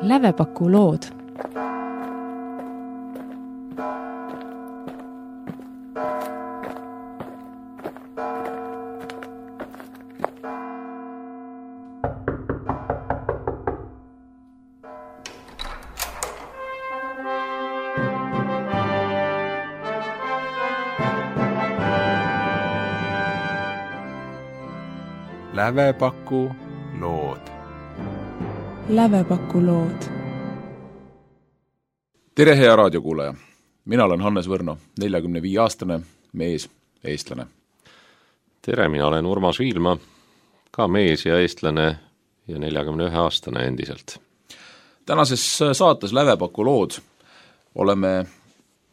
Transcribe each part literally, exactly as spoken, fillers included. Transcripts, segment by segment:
Lävepaku lood. Lävepaku lood. Lävepaku lood. Tere, hea raadiokuulaja! Mina olen Hannes Võrno, neljakümne viie aastane mees, eestlane. Tere, mina olen Urmas Viilma, ka mees ja eestlane ja neljakümne ühe aastane endiselt. Tänases saates Lävepaku lood oleme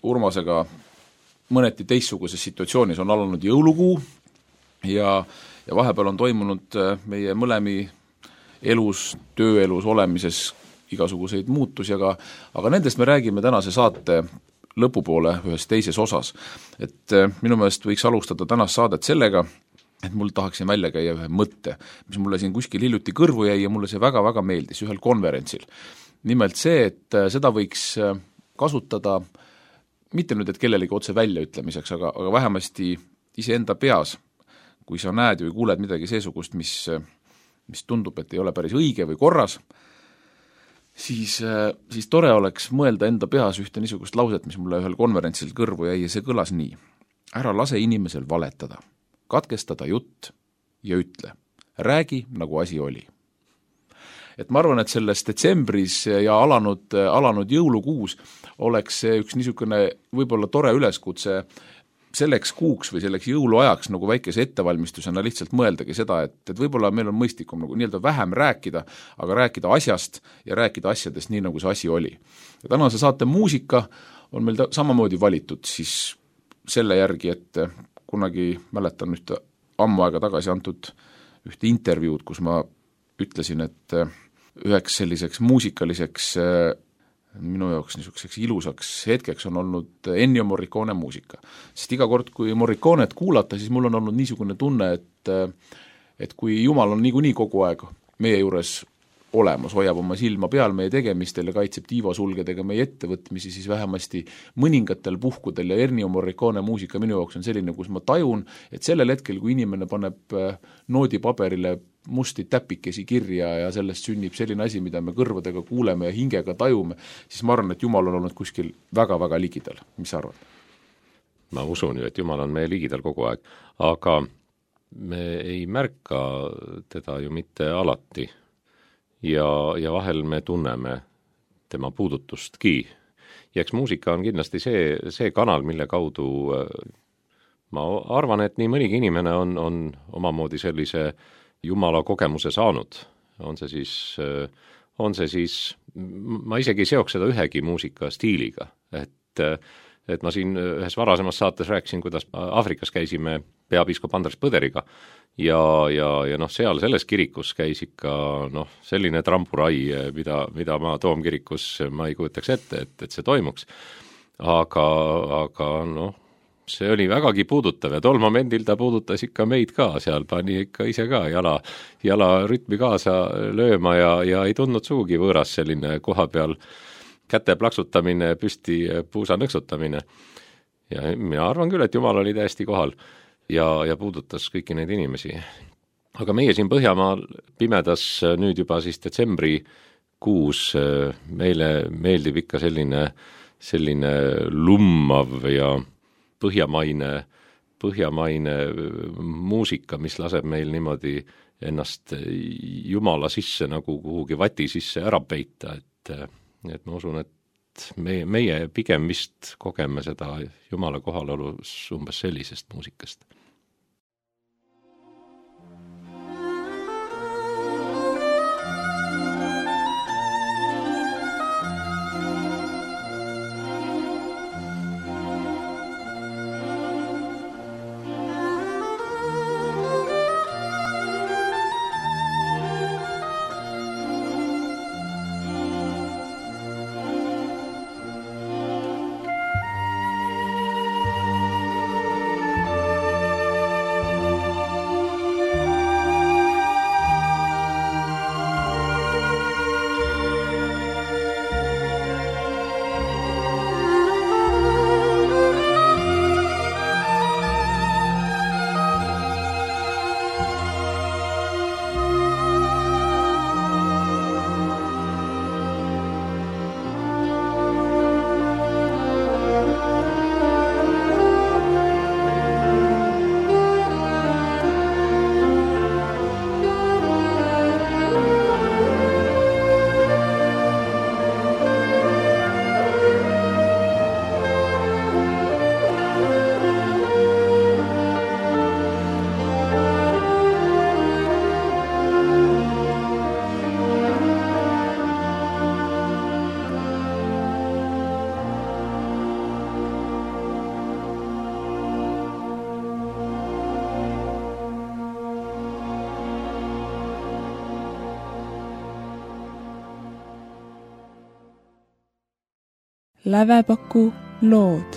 Urmasega mõneti teistsuguses situatsioonis. On alanud jõulukuu ja Ja vahepeal on toimunud meie mõlemi elus, tööelus olemises igasuguseid muutusi, aga, aga nendest me räägime tänase saate lõpupoole ühes teises osas. Et minu meelest võiks alustada tänast saadet sellega, et mul tahaksin välja käia ühe mõtte, mis mulle siin kuskil hiljuti kõrvu jäi ja mulle see väga-väga meeldis ühel konverentsil. Nimelt see, et seda võiks kasutada, mitte nüüd, et kellelegi otse väljaütlemiseks, aga, aga vähemasti iseenda peas, kui sa näed või kuuled midagi seesugust, mis, mis tundub, et ei ole päris õige või korras, siis, siis tore oleks mõelda enda peas ühte niisugust lauset, mis mulle ühel konverentsil kõrvu jäi ja see kõlas nii. Ära lase inimesel valetada, katkestada jutt ja ütle. Räägi, nagu asi oli. Et ma arvan, et selles detsembris ja alanud, alanud jõulukuus oleks see üks niisugune võib-olla tore üleskutse selleks kuuks või selleks jõuluajaks nagu väikese ettevalmistusena lihtsalt mõeldagi seda, et, et võib-olla meil on mõistlikum nagu nii-öelda vähem rääkida, aga rääkida asjast ja rääkida asjadest nii, nagu see asi oli. Ja tänase saate muusika on meil ta, samamoodi valitud siis selle järgi, et kunagi mäletan ühte ammu aega tagasi antud ühte intervjuud, kus ma ütlesin, et üheks selliseks muusikaliseks minu jaoks niisuguseks ilusaks hetkeks on olnud Ennio Morricone muusika. Sest iga kord, kui Morriconet kuulata, siis mul on olnud niisugune tunne, et, et kui Jumal on niikuinii kogu aeg meie juures olemas, hoiab oma silma peal meie tegemistel ja kaitseb tiivasulgedega meie ettevõtmisi, siis vähemasti mõningatel puhkudel ja Ennio Morricone muusika minu jaoks on selline, kus ma tajun, et sellel hetkel, kui inimene paneb noodipaberile musti täpikesi kirja ja sellest sünnib selline asi, mida me kõrvadega kuuleme ja hingega tajume, siis ma arvan, et Jumal on olnud kuskil väga-väga ligidal. Mis sa arvad? Ma usun ju, et Jumal on meie ligidal kogu aeg, aga me ei märka teda ju mitte alati ja, ja vahel me tunneme tema puudutustki. Ja eks muusika on kindlasti see, see kanal, mille kaudu ma arvan, et nii mõnigi inimene on, on omamoodi sellise Jumala kogemuse saanud, on see siis, on see siis, ma isegi ei seoks seda ühegi muusika stiiliga, et, et ma siin ühes varasemas saates rääkisin, kuidas Aafrikas käisime peapiiskop Andres Põderiga ja, ja, ja noh, seal selles kirikus käis ikka noh, selline trampurai, mida, mida ma Toomkirikus ma ei kujutaks ette, et, et see toimuks, aga, aga noh, see oli vägagi puudutav ja tol momendil ta puudutas ikka meid ka, seal pani ikka ise ka jala, jala rütmi kaasa lööma ja, ja ei tundnud suugi võõras selline koha peal käte plaksutamine, püsti puusa nõksutamine. Ja mina arvan küll, et Jumal oli täiesti kohal ja, ja puudutas kõiki neid inimesi. Aga meie siin Põhjamaal pimedas nüüd juba siis detsembri kuus meile meeldib ikka selline, selline lummav ja põhjamaine, põhjamaine muusika, mis laseb meil niimoodi ennast Jumala sisse nagu kuhugi vati sisse ära peita, et, et ma usun, et meie, meie pigem vist kogeme seda Jumala kohalolus umbes sellisest muusikast. Lävepaku lood.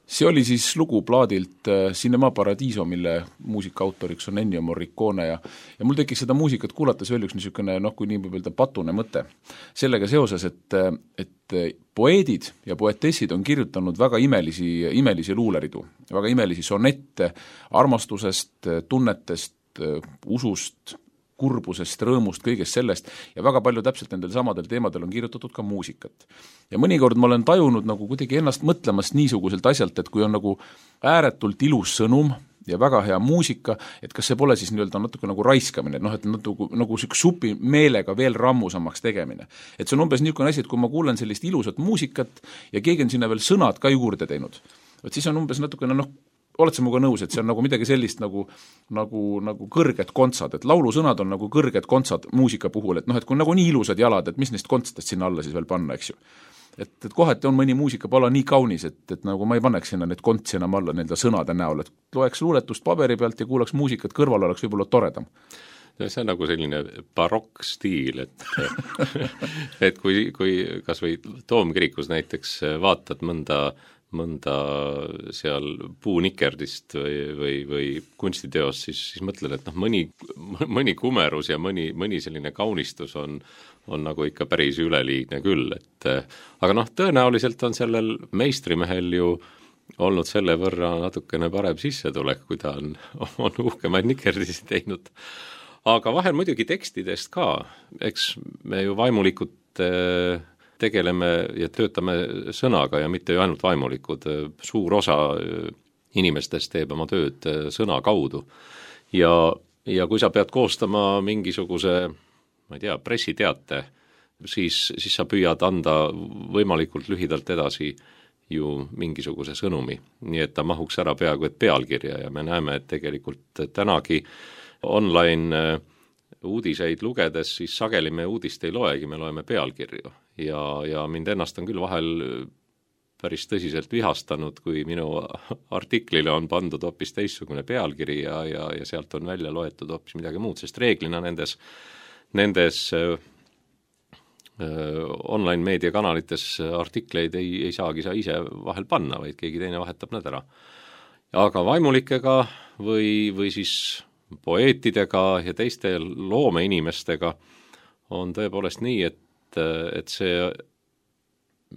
See oli siis lugu plaadilt Cinema Paradiso, mille muusikaautoriks on Ennio Morricone ja, ja mul tekkis seda muusikat kuulates veel üks niisugune, noh, kui nii võib öelda, patune mõte. Sellega seoses, et, et poeedid ja poetessid on kirjutanud väga imelisi, imelisi luuleridu, väga imelisi sonette armastusest, tunnetest, usust, kurbusest, rõõmust, kõigest sellest ja väga palju täpselt nendel samadel teemadel on kirjutatud ka muusikat. Ja mõnikord ma olen tajunud nagu kuidagi ennast mõtlemast niisuguselt asjalt, et kui on nagu ääretult ilus sõnum ja väga hea muusika, et kas see pole siis nii-öelda natuke nagu raiskamine, noh, et nagu, nagu siuke supi meelega veel rammusamaks tegemine. Et see on umbes niisugune asi, et kui ma kuulen sellist ilusat muusikat ja keegi on sinna veel sõnad ka juurde teinud, et siis on umbes natukene, noh, oled sa muga nõus, et see on nagu midagi sellist nagu, nagu, nagu kõrged kontsad, et laulusõnad on nagu kõrged kontsad muusika puhul, et noh, et kui nagu nii ilusad jalad, et mis neist kontstest sinna alla siis veel panna, eks ju. Et, et kohati on mõni muusikapaala nii kaunis, et, et nagu ma ei paneks sinna need kontsi enam alla nende sõnade näol, et loeks luuletust paberi pealt ja kuulaks muusikat kõrval, oleks võib-olla toredam. See on nagu selline barokk-stiil, et et kui, kui kas või Toomkirikus näiteks vaatad mõnda mõnda seal puunikerdist või, või, või kunstiteos, siis, siis mõtled, et noh, mõni, mõni kumerus ja mõni, mõni selline kaunistus on, on nagu ikka päris üleliigne küll, et aga noh, tõenäoliselt on sellel meistrimehel ju olnud selle võrra natukene parem sissetulek, kui ta on, on uhkemaid nikerdisi teinud. Aga vahel muidugi tekstidest ka, eks me ju vaimulikud tegeleme ja töötame sõnaga ja mitte ju ainult vaimulikud, suur osa inimestest teeb oma tööd sõna kaudu. Ja, ja kui sa pead koostama mingisuguse, ma ei tea, pressiteate, siis, siis sa püüad anda võimalikult lühidalt edasi ju mingisuguse sõnumi, nii et ta mahuks ära peaaegu et pealkirja ja me näeme, et tegelikult tänagi online uudiseid lugedes, siis sageli me uudist ei loegi, me loeme pealkirju. Ja, ja mind ennast on küll vahel päris tõsiselt vihastanud, kui minu artiklile on pandud hoopis teistsugune pealkiri ja, ja, ja sealt on välja loetud hoopis midagi muud, sest reeglina nendes, nendes äh, online meediakanalites artikleid ei, ei saagi sa ise vahel panna, vaid keegi teine vahetab nad ära. Aga vaimulikega või, või siis poeetidega ja teiste loomeinimestega on tõepoolest nii, et et see,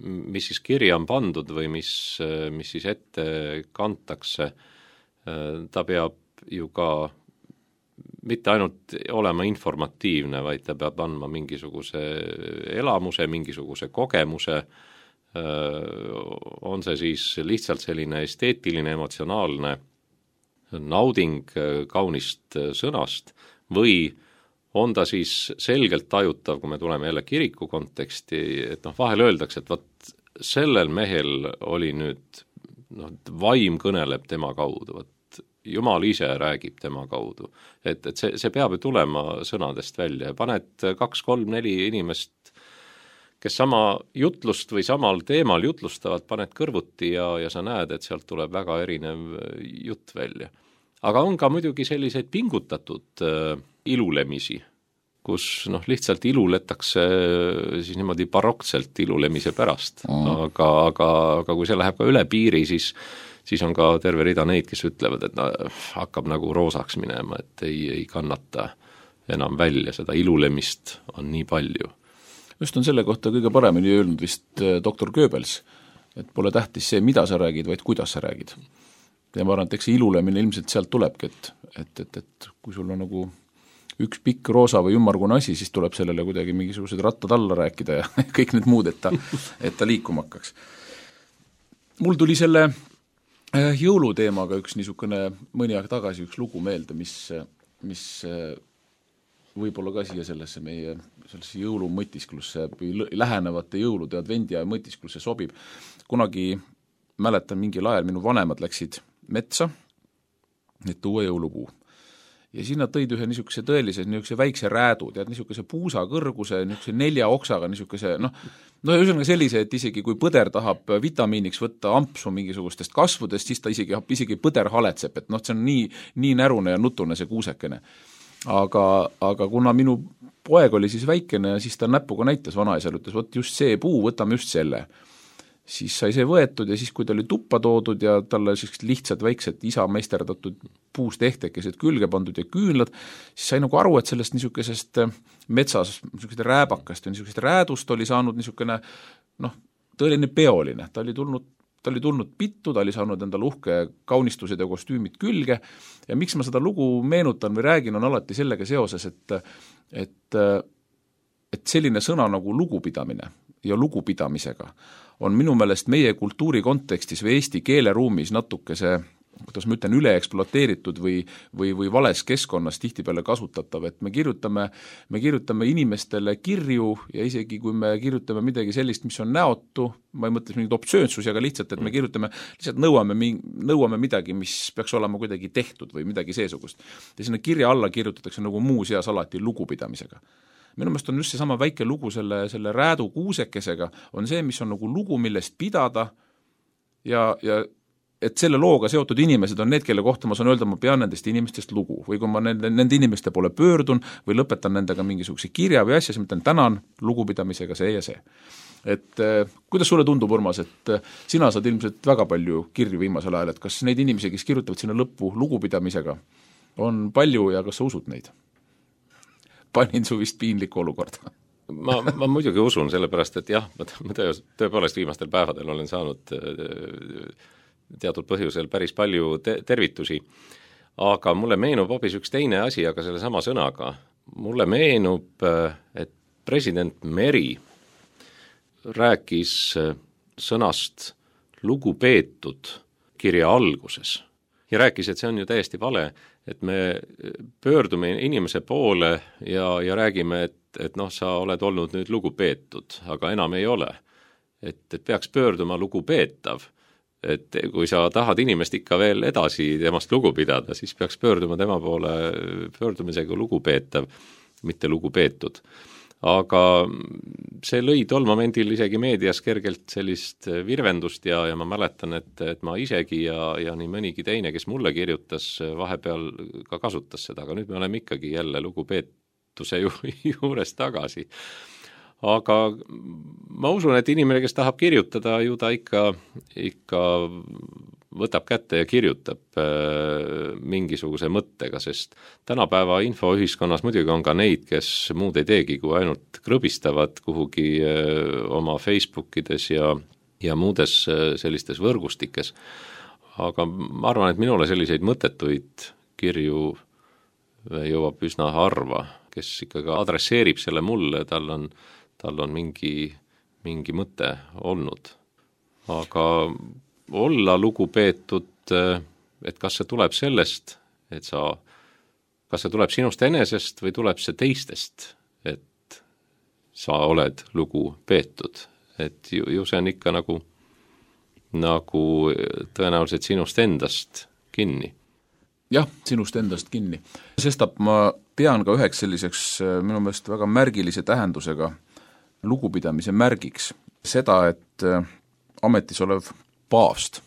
mis siis kirja on pandud või mis, mis siis ette kantakse, ta peab ju ka mitte ainult olema informatiivne, vaid ta peab andma mingisuguse elamuse, mingisuguse kogemuse, on see siis lihtsalt selline esteetiline, emotsionaalne nauding kaunist sõnast või on ta siis selgelt tajutav, kui me tuleme jälle kiriku konteksti, et noh, vahel öeldakse, et vaat sellel mehel oli nüüd, noh, vaim kõneleb tema kaudu, vaat Jumal ise räägib tema kaudu. Et, et see, see peab ju tulema sõnadest välja ja paned kaks, kolm, neli inimest, kes sama jutlust või samal teemal jutlustavad, paned kõrvuti ja, ja sa näed, et sealt tuleb väga erinev jutt välja. Aga on ka muidugi selliseid pingutatud äh, ilulemisi, kus noh, lihtsalt iluletakse siis niimoodi baroktselt ilulemise pärast. Mm. Aga, aga, aga kui see läheb ka üle piiri, siis, siis on ka terve rida neid, kes ütlevad, et no, hakkab nagu roosaks minema, et ei, ei kannata enam välja, seda ilulemist on nii palju. Just on selle kohta kõige paremini öelnud vist doktor Goebbels, et pole tähtis see, mida sa räägid, vaid kuidas sa räägid. Ja ma arvan, et eks see ilulemine ilmselt sealt tulebki, et, et, et, et kui sul on nagu üks pikk roosa või ümmargune asi, siis tuleb sellele kuidagi mingisugused rattad alla rääkida ja kõik need muud, et ta, et ta liikuma hakkaks. Mul tuli selle jõuluteemaga üks niisugune mõni aeg tagasi üks lugu meelde, mis, mis võib-olla ka siia sellesse meie sellesse jõulumõtisklusse, lähenevate jõulude advendi ja mõtisklusse sobib. Kunagi mäletan mingil ajal minu vanemad läksid metsa, et tuua jõulupuu. Ja siis nad tõid ühe niisuguse tõelise niisuguse väikse räädu, tead, niisuguse puusa kõrguse, niisuguse nelja oksaga, niisuguse, noh, no ühesõnaga sellise, et isegi kui põder tahab vitamiiniks võtta ampsu mingisugustest kasvudest, siis ta isegi, isegi põder haletseb, et noh, see on nii, nii närune ja nutune see kuusekene. aga, aga kuna minu poeg oli siis väikene ja siis ta näpuga näitas vanaisal, ütles, vot just see puu, võtame just selle. Siis sai see võetud ja siis, kui ta oli tuppa toodud ja talle sellised lihtsad väiksed isa meisterdatud puust ehtekesed külge pandud ja küünlad, siis sai nagu aru, et sellest niisugusest metsas niisugusest rääbakast ja niisugusest räädust oli saanud niisugune noh, tõeline peoline. Ta oli tulnud ta oli tulnud pittu, ta oli saanud endale uhke kaunistused ja kostüümid külge ja miks ma seda lugu meenutan või räägin, on alati sellega seoses, et, et, et selline sõna nagu lugupidamine ja lugupidamisega on minu meelest meie kultuuri kontekstis või eesti keeleruumis natuke see, kuidas ma ütlen, üleekspluateeritud või, või, või vales keskkonnas tihtipeale kasutatav, et me kirjutame, me kirjutame inimestele kirju ja isegi kui me kirjutame midagi sellist, mis on näotu, ma ei mõtle mingit optsioonsusi, aga lihtsalt, et me kirjutame, lihtsalt nõuame, nõuame midagi, mis peaks olema kuidagi tehtud või midagi seesugust. Ja sinna kirja alla kirjutatakse nagu muu seas alati lugupidamisega. Minu meelest on just seesama väike lugu selle, selle räädu kuusekesega, on see, mis on nagu lugu, millest pidada ja, ja et selle looga seotud inimesed on need, kelle kohta ma saan öelda, ma pean nendest inimestest lugu või kui ma nende, nende inimeste poole pöördun või lõpetan nendega mingisuguse kirja või asja, siis ma ütlen tänan lugupidamisega see ja see. Et eh, kuidas sulle tundub, Urmas, et eh, sina saad ilmselt väga palju kirju viimasel ajal, et kas neid inimesi, kes kirjutavad sinna lõppu lugupidamisega, on palju ja kas sa usud neid? Panin su vist piinlikku olukorda. ma, ma muidugi usun, sellepärast, et jah, ma töö, tõepoolest viimastel päevadel olen saanud teatud põhjusel päris palju te- tervitusi, aga mulle meenub hoopis üks teine asi, aga selle sama sõnaga. Mulle meenub, et president Meri rääkis sõnast lugupeetud kirja alguses ja rääkis, et see on ju täiesti vale, et me pöördume inimese poole ja, ja räägime, et, et noh, sa oled olnud nüüd lugupeetud, aga enam ei ole. Et, et peaks pöörduma lugupeetav. Et kui sa tahad inimest ikka veel edasi temast lugu pidada, siis peaks pöörduma tema poole pöördumisega lugupeetav, mitte lugupeetud. Aga see lõi tol momendil isegi meedias kergelt sellist virvendust ja, ja ma mäletan, et, et ma isegi ja, ja nii mõnigi teine, kes mulle kirjutas, vahepeal ka kasutas seda, aga nüüd me oleme ikkagi jälle lugupeetuse ju, juures tagasi. Aga ma usun, et inimene, kes tahab kirjutada, ju ta ikka, ikka võtab kätte ja kirjutab äh, mingisuguse mõttega, sest tänapäeva infoühiskonnas muidugi on ka neid, kes muud ei teegi, kui ainult krõbistavad kuhugi äh, oma Facebookides ja, ja muudes äh, sellistes võrgustikes. Aga ma arvan, et minule selliseid mõttetuid kirju jõuab üsna harva, kes ikkagi adresseerib selle mulle, tal on tal on mingi, mingi mõte olnud. Aga olla lugupeetud, et kas see tuleb sellest, et sa, kas see tuleb sinust enesest või tuleb see teistest, et sa oled lugupeetud. Et ju, ju see on ikka nagu, nagu tõenäoliselt sinust endast kinni. Jah, sinust endast kinni. Sestap ma pean ka üheks selliseks minu meelest väga märgilise tähendusega lugupidamise märgiks seda, et ametis olev paavst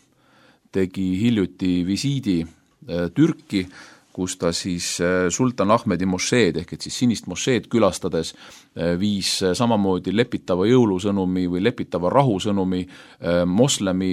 tegi hiljuti visiidi Türki, kus ta siis sultan Ahmedi mošeed ehk et siis sinist mošeed külastades viis samamoodi lepitava jõulusõnumi või lepitava rahusõnumi moslemi,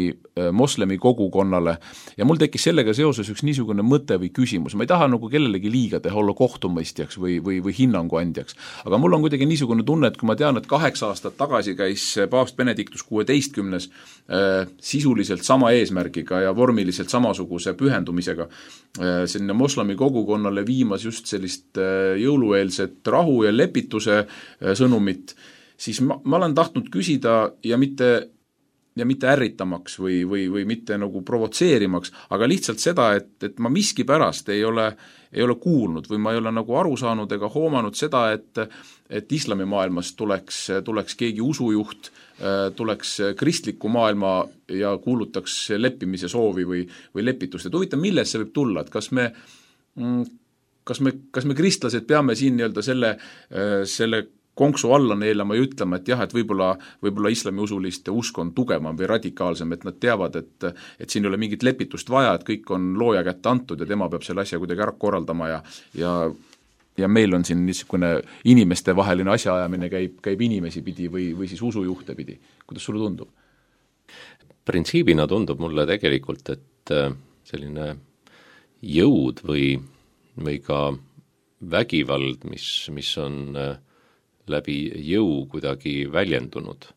moslemi kogukonnale ja mul tekkis sellega seoses üks niisugune mõte või küsimus, ma ei taha nagu kellelegi liiga teha, olla kohtumõistjaks või, või, või hinnanguandjaks, aga mul on kuidagi niisugune tunne, et kui ma tean, et kaheksa aastat tagasi käis paavst Benedictus kuueteistkümnes äh, sisuliselt sama eesmärgiga ja vormiliselt samasuguse pühendumisega äh, sinna moslemi kogukonnale viimas just sellist jõulueelset rahu ja lepituse sõnumit, siis ma, ma olen tahtnud küsida ja mitte, ja mitte ärritamaks või, või, või mitte nagu provotseerimaks, aga lihtsalt seda, et, et ma miski pärast ei ole, ei ole kuulnud või ma ei ole nagu aru saanud ega hoomanud seda, et, et islamimaailmas tuleks, tuleks keegi usujuht, tuleks kristliku maailma ja kuulutaks leppimise soovi või, või lepitust. Et huvitav, millest see võib tulla, et kas me kas me, kas me kristlased peame siin nii-öelda selle, selle konksu alla neelama ja ütlema, et jah, et võib-olla, võib-olla islamiusuliste usk on tugevam või radikaalsem, et nad teavad, et, et siin ei ole mingit lepitust vaja, et kõik on looja kätte antud ja tema peab selle asja kuidagi ära korraldama ja, ja ja meil on siin niisugune inimeste vaheline asjaajamine käib, käib inimesi pidi või, või siis usujuhte pidi. Kuidas sulle tundub? Printsiibina tundub mulle tegelikult, et selline jõud või, või ka vägivald, mis, mis on läbi jõu kuidagi väljendunud,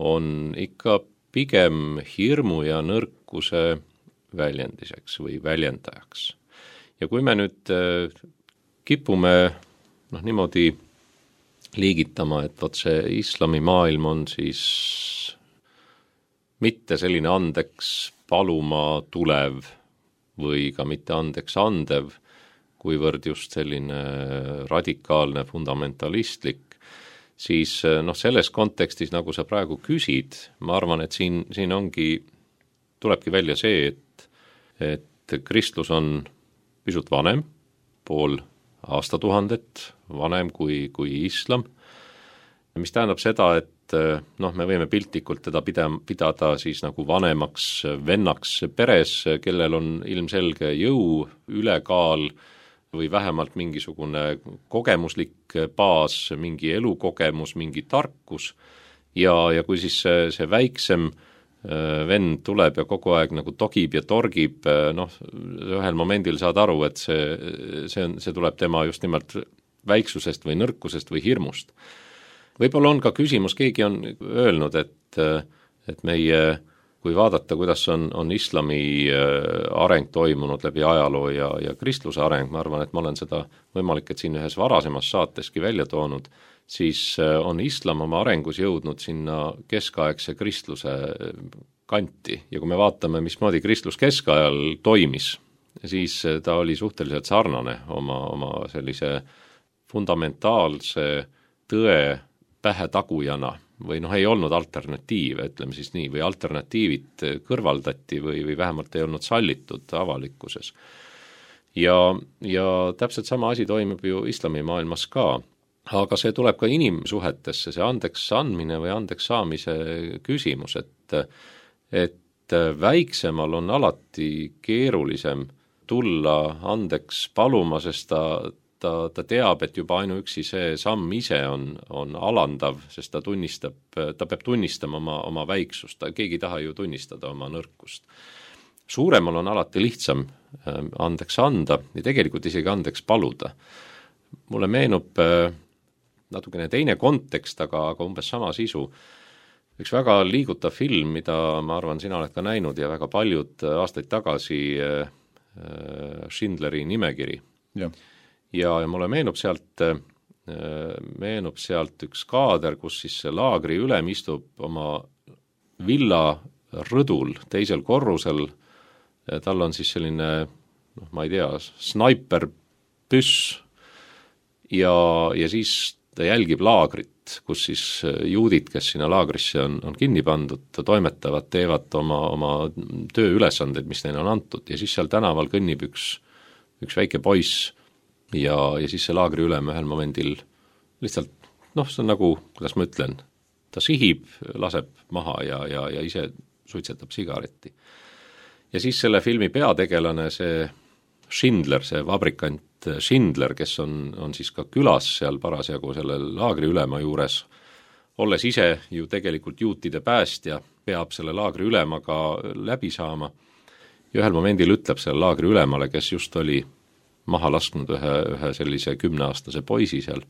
on ikka pigem hirmu ja nõrkuse väljendiseks või väljendajaks. Ja kui me nüüd kipume noh, niimoodi liigitama, et vot see islamimaailm on siis mitte selline andeks paluma tulev või ka mitte andeks andev, kuivõrd just selline radikaalne, fundamentalistlik, siis noh, selles kontekstis, nagu sa praegu küsid, ma arvan, et siin, siin ongi, tulebki välja see, et, et kristlus on pisut vanem, pool aastatuhandet vanem kui, kui islam, mis tähendab seda, et noh, me võime piltlikult teda pida, pidada siis nagu vanemaks vennaks peres, kellel on ilmselge jõu, ülekaal või vähemalt mingisugune kogemuslik baas, mingi elukogemus, mingi tarkus ja, ja kui siis see, see väiksem vend tuleb ja kogu aeg nagu togib ja torgib, noh, ühel momendil saad aru, et see, see, on, see tuleb tema just nimelt väiksusest või nõrkusest või hirmust. Võib-olla on ka küsimus, keegi on öelnud, et, et meie, kui vaadata, kuidas on, on islami areng toimunud läbi ajaloo ja, ja kristluse areng, ma arvan, et ma olen seda võimalik, et siin ühes varasemas saateski välja toonud, siis on islam oma arengus jõudnud sinna keskaegse kristluse kanti ja kui me vaatame, mismoodi kristlus keskajal toimis, siis ta oli suhteliselt sarnane oma, oma sellise fundamentaalse tõe pähetagujana või noh, ei olnud alternatiive, ütleme siis nii, või alternatiivid kõrvaldati või, või vähemalt ei olnud sallitud avalikkuses. Ja, ja täpselt sama asi toimub ju islamimaailmas ka, aga see tuleb ka inimsuhetesse, see andeks andmine või andeks saamise küsimus, et, et väiksemal on alati keerulisem tulla andeks paluma, sest ta Ta, ta teab, et juba ainuüksi see samm ise on, on alandav, sest ta tunnistab, ta peab tunnistama oma, oma väiksust, ta, keegi ei taha ju tunnistada oma nõrkust. Suuremal on alati lihtsam andeks anda ja tegelikult isegi andeks paluda. Mulle meenub natukene teine kontekst, aga, aga umbes sama sisu. Üks väga liigutav film, mida ma arvan, sina oled ka näinud ja väga paljud aastaid tagasi Schindleri nimekiri. Jah. Ja, ja mulle meenub sealt, meenub sealt üks kaader, kus siis see laagri ülem istub oma villa rõdul teisel korrusel, tal on siis selline, noh, ma ei tea, snaiperpüss ja, ja siis ta jälgib laagrit, kus siis juudid, kes sinna laagrisse on, on kinni pandud, toimetavad, teevad oma, oma tööülesandeid, mis neile on antud ja siis seal tänaval kõnnib üks, üks väike poiss, ja, ja siis see laagri ülem ühel momendil lihtsalt, noh, see on nagu, kuidas ma ütlen, ta sihib, laseb maha ja, ja, ja ise suitsetab sigaretti. Ja siis selle filmi peategelane, see Schindler, see vabrikant Schindler, kes on, on siis ka külas seal parasjagu selle laagri ülema juures, olles ise ju tegelikult juutide päästja, peab selle laagri ülemaga läbi saama ja ühel momendil ütleb selle laagri ülemale, kes just oli maha lasknud ühe, ühe sellise kümneaastase poisi seal,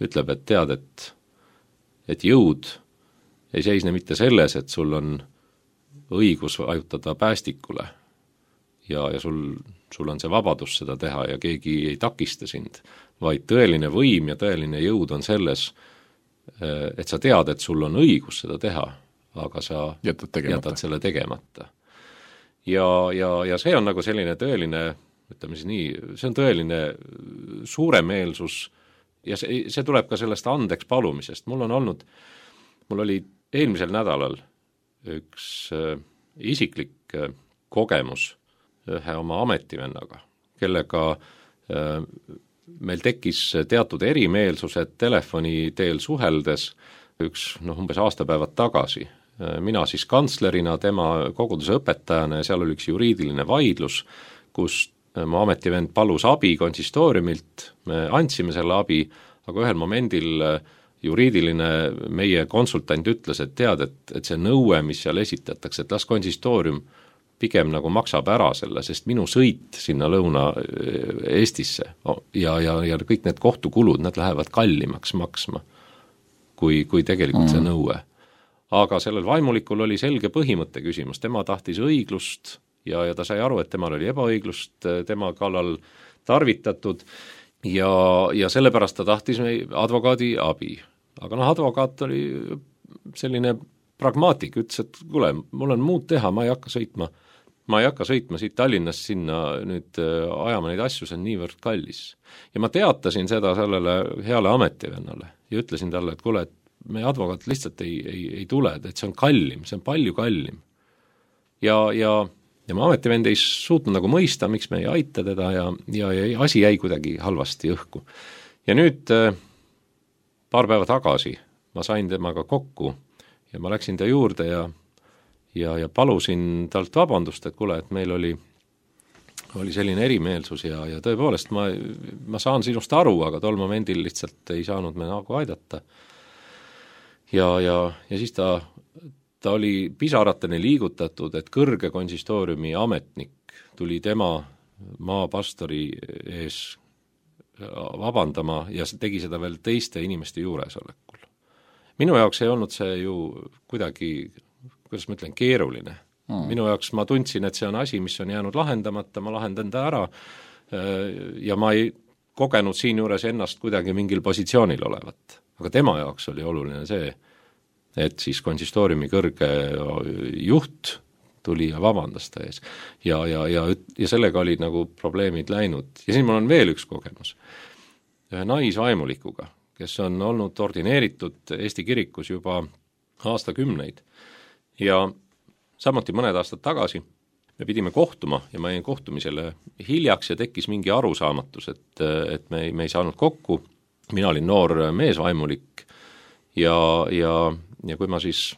ütleb, et tead, et, et jõud ei seisne mitte selles, et sul on õigus vajutada päästikule ja, ja sul, sul on see vabadus seda teha ja keegi ei takista sind, vaid tõeline võim ja tõeline jõud on selles, et sa tead, et sul on õigus seda teha, aga sa jätad, jätad selle tegemata. Ja, ja, ja see on nagu selline tõeline ütleme siis nii, see on tõeline suuremeelsus ja see, see tuleb ka sellest andeks palumisest. Mul on olnud, mul oli eelmisel nädalal üks äh, isiklik äh, kogemus ühe oma ametivennaga, kellega äh, meil tekkis teatud erimeelsused telefoni teel suheldes üks, noh, umbes aastapäevad tagasi. Mina siis kantslerina, tema koguduse õpetajana ja seal oli üks juriidiline vaidlus, kus mu ametivend palus abi konsistooriumilt, me andsime selle abi, aga ühel momendil juriidiline meie konsultant ütles, et tead, et, et see nõue, mis seal esitatakse, et las konsistoorium pigem nagu maksab ära selle, sest minu sõit sinna Lõuna-Eestisse ja, ja, ja kõik need kohtukulud, need lähevad kallimaks maksma, kui, kui tegelikult mm. see nõue. Aga sellel vaimulikul oli selge põhimõtte küsimus, tema tahtis õiglust ja, ja ta sai aru, et temal oli ebaõiglust, tema kallal tarvitatud ja, ja sellepärast ta tahtis advokaadi abi. Aga noh, advokaat oli selline pragmaatik, ütles, et kuule, mul on muud teha, ma ei hakka sõitma, ma ei hakka sõitma siit Tallinnast sinna nüüd ajama neid asju, see on niivõrd kallis. Ja ma teatasin seda sellele heale ametivennale ja ütlesin talle, et kuule, et meie advokaat lihtsalt ei, ei, ei tule, et see on kallim, see on palju kallim. Ja, ja, ja ma ametivend ei suutnud nagu mõista, miks me ei aita teda ja, ja, ja asi jäi kuidagi halvasti õhku. Ja nüüd paar päeva tagasi ma sain temaga kokku ja ma läksin ta juurde ja, ja, ja palusin talt vabandust, et kuule, et meil oli, oli selline erimeelsus ja, ja tõepoolest ma, ma saan sinust aru, aga tol momendil lihtsalt ei saanud me nagu aidata. Ja, ja, ja siis ta, ta oli pisarateni liigutatud, et kõrge konsistooriumi ametnik tuli tema maapastori ees vabandama ja tegi seda veel teiste inimeste juuresolekul. Minu jaoks ei olnud see ju kuidagi, kuidas ma ütlen, keeruline. Mm. Minu jaoks ma tundsin, et see on asi, mis on jäänud lahendamata, ma lahendan ta ära ja ma ei kogenud siin juures ennast kuidagi mingil positsioonil olevat. Aga tema jaoks oli oluline see, et siis konsistooriumi kõrge juht tuli ja vabandas ta ees. Ja, ja, ja, ja sellega olid nagu probleemid läinud. Ja siin mul on veel üks kogemus. Ühe naisvaimulikuga, kes on olnud ordineeritud Eesti kirikus juba aastakümneid. Ja samuti mõned aastad tagasi me pidime kohtuma ja ma jäin kohtumisele hiljaks ja tekkis mingi arusaamatus, et, et me, me ei saanud kokku. Mina olin noor meesvaimulik ja, ja, ja kui ma siis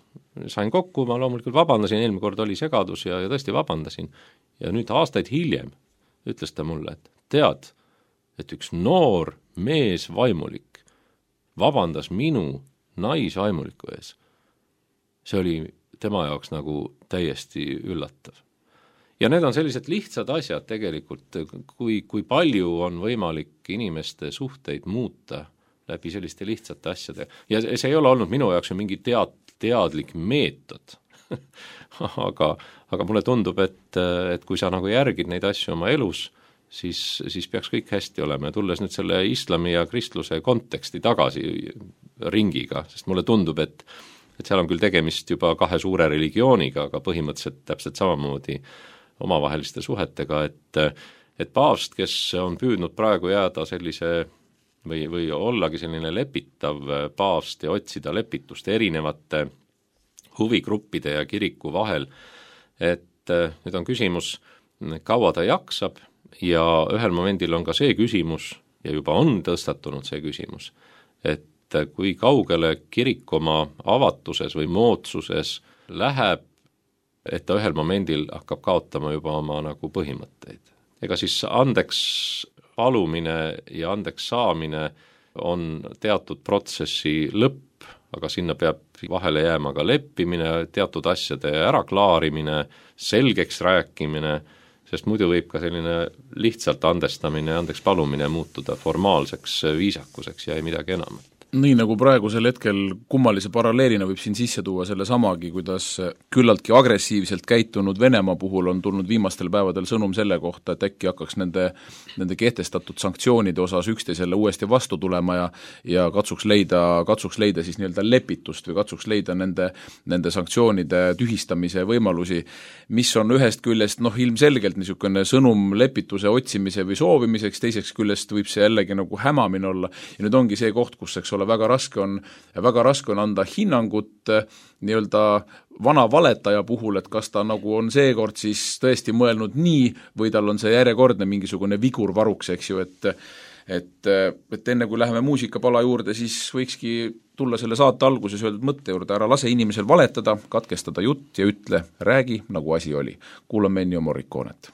sain kokku, ma loomulikult vabandasin, eelmine kord oli segadus ja, ja tõesti vabandasin. Ja nüüd aastaid hiljem ütles ta mulle, et tead, et üks noor meesvaimulik vabandas minu naisvaimuliku ees. See oli tema jaoks nagu täiesti üllatav. Ja need on sellised lihtsad asjad tegelikult, kui, kui palju on võimalik inimeste suhteid muuta läbi selliste lihtsate asjade. Ja see ei ole olnud minu jaoks mingi tead, teadlik meetod. aga, aga mulle tundub, et, et kui sa nagu järgid neid asju oma elus, siis, siis peaks kõik hästi olema. Ja tulles nüüd selle islami ja kristluse konteksti tagasi ringiga, sest mulle tundub, et, et seal on küll tegemist juba kahe suure religiooniga, aga põhimõtteliselt täpselt samamoodi omavaheliste suhetega, et, et paavst, kes on püüdnud praegu jääda sellise või, või ollagi selline lepitav paavst ja otsida lepitust erinevate huvigruppide ja kiriku vahel, et nüüd on küsimus, kaua ta jaksab ja ühel momendil on ka see küsimus ja juba on tõstatunud see küsimus, et kui kaugele kirik oma avatuses või moodsuses läheb, et ta ühel momendil hakkab kaotama juba oma nagu põhimõtteid. Ega siis andeks palumine ja andeks saamine on teatud protsessi lõpp, aga sinna peab vahele jääma ka leppimine, teatud asjade äraklaarimine, selgeks rääkimine, sest muidu võib ka selline lihtsalt andestamine ja andeks palumine muutuda formaalseks viisakuseks ja ei midagi enamat. Nii nagu praegusel hetkel kummalise paralleelina võib siin sisse tuua selle samagi, kuidas küllaltki agressiivselt käitunud Venemaa puhul on tulnud viimastel päevadel sõnum selle kohta, et äkki hakkaks nende, nende kehtestatud sanktsioonide osas üksteisele uuesti vastu tulema ja, ja katsuks leida, katsuks leida siis nii-öelda lepitust või katsuks leida nende, nende sanktsioonide tühistamise võimalusi, mis on ühest küljest noh, ilmselgelt niisugune sõnum lepituse otsimise või soovimiseks, teiseks küljest võib see jällegi nagu hämamine olla ja nüüd ongi see koht, kus eks ole väga raske on, väga raske on anda hinnangut nii-öelda vana valetaja puhul, et kas ta nagu on seekord siis tõesti mõelnud nii või tal on see järjekordne mingisugune vigur varuks, eks ju, et et, et enne kui läheme muusikapala juurde, siis võikski tulla selle saate alguses öeldud mõtte juurde, ära lase inimesel valetada, katkestada jutt ja ütle, räägi, nagu asi oli. Kuulame Ennio Morriconet.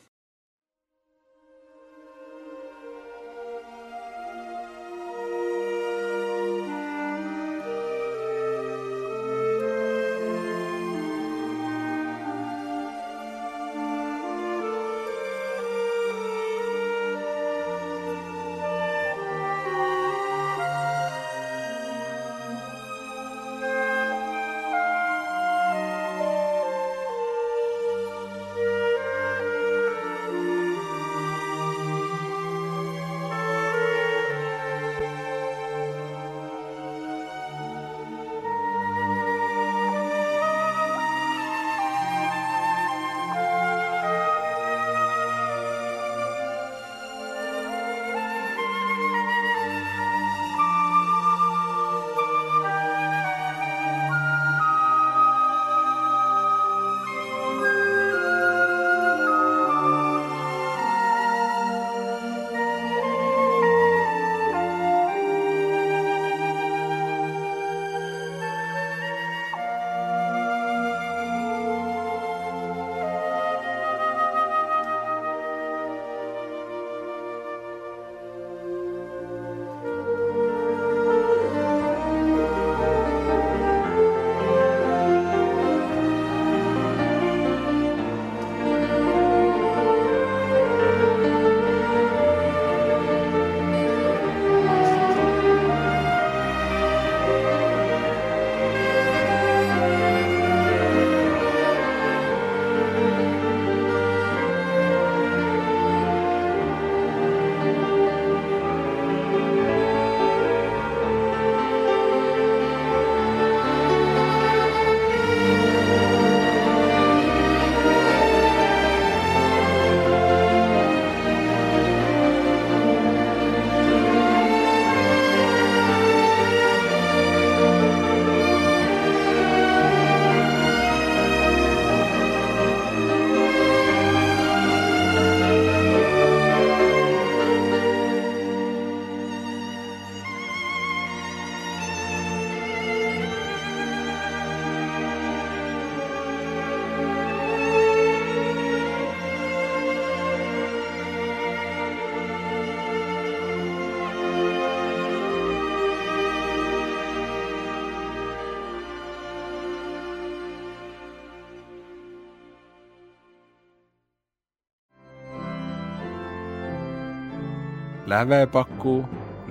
Lävepaku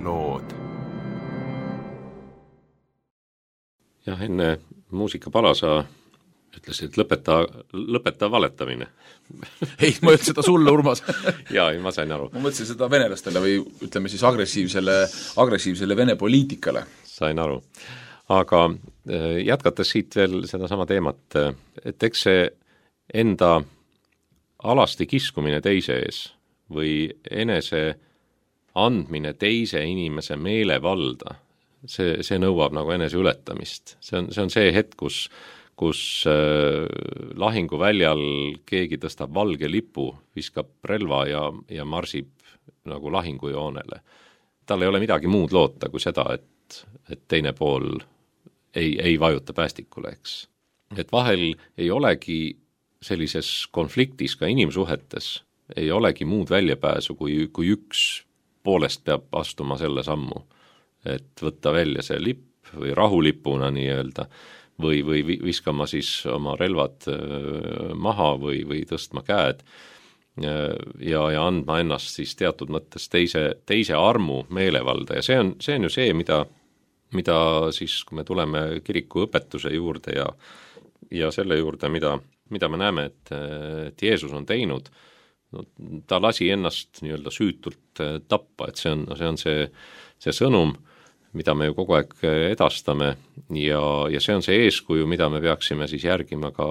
lood. jah, enne muusikapala sa ütlesid, et lõpeta, lõpeta valetamine. Ei, ma ütlen seda sulle, Urmas. jaa, ei, ma sain aru. Ma mõtlesin seda venelastele või ütleme siis agressiivsele, agressiivsele Vene poliitikale. Sain aru. Aga jätkates siit veel seda sama teemat, et eks see enda alasti kiskumine teise ees või enese andmine teise inimese meelevalda, see, see nõuab nagu enese ületamist. See on, see on see hetk, kus kus äh, lahinguväljal keegi tõstab valge lipu, viskab relva ja, ja marsib nagu lahingujoonele. Tal ei ole midagi muud loota kui seda, et, et teine pool ei, ei vajuta päästikule, eks. Et vahel ei olegi sellises konfliktis ka inimsuhetes, ei olegi muud väljapääsu, kui, kui üks poolest peab astuma selle sammu. Et võtta välja see lipp või rahulipuna nii-öelda, või, või viskama siis oma relvad maha või, või tõstma käed ja, ja andma ennast siis teatud mõttes teise, teise armu meelevalda ja see on, see on ju see, mida, mida siis, kui me tuleme kiriku õpetuse juurde ja, ja selle juurde, mida, mida me näeme, et, et Jeesus on teinud, no, ta lasi ennast nii-öelda süütult tappa, et see on see, on see, see sõnum, mida me ju kogu aeg edastame ja, ja see on see eeskuju, mida me peaksime siis järgima ka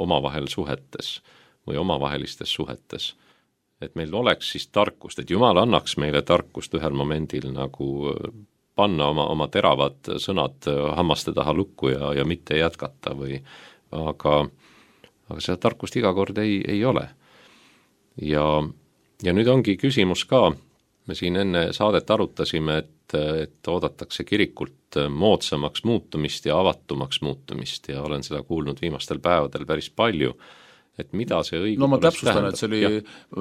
omavahel suhetes või omavahelistes suhetes. Et meil oleks siis tarkust, et Jumal annaks meile tarkust ühel momendil nagu panna oma, oma teravad sõnad hammaste taha lukku ja, ja mitte jätkata või aga, aga seda tarkust iga kord ei, ei ole. Ja, ja nüüd ongi küsimus ka, me siin enne saadet arutasime, et, et oodatakse kirikult moodsamaks muutumist ja avatumaks muutumist ja olen seda kuulnud viimastel päevadel päris palju, et mida see õigupoolest no ma täpsustan, et see oli,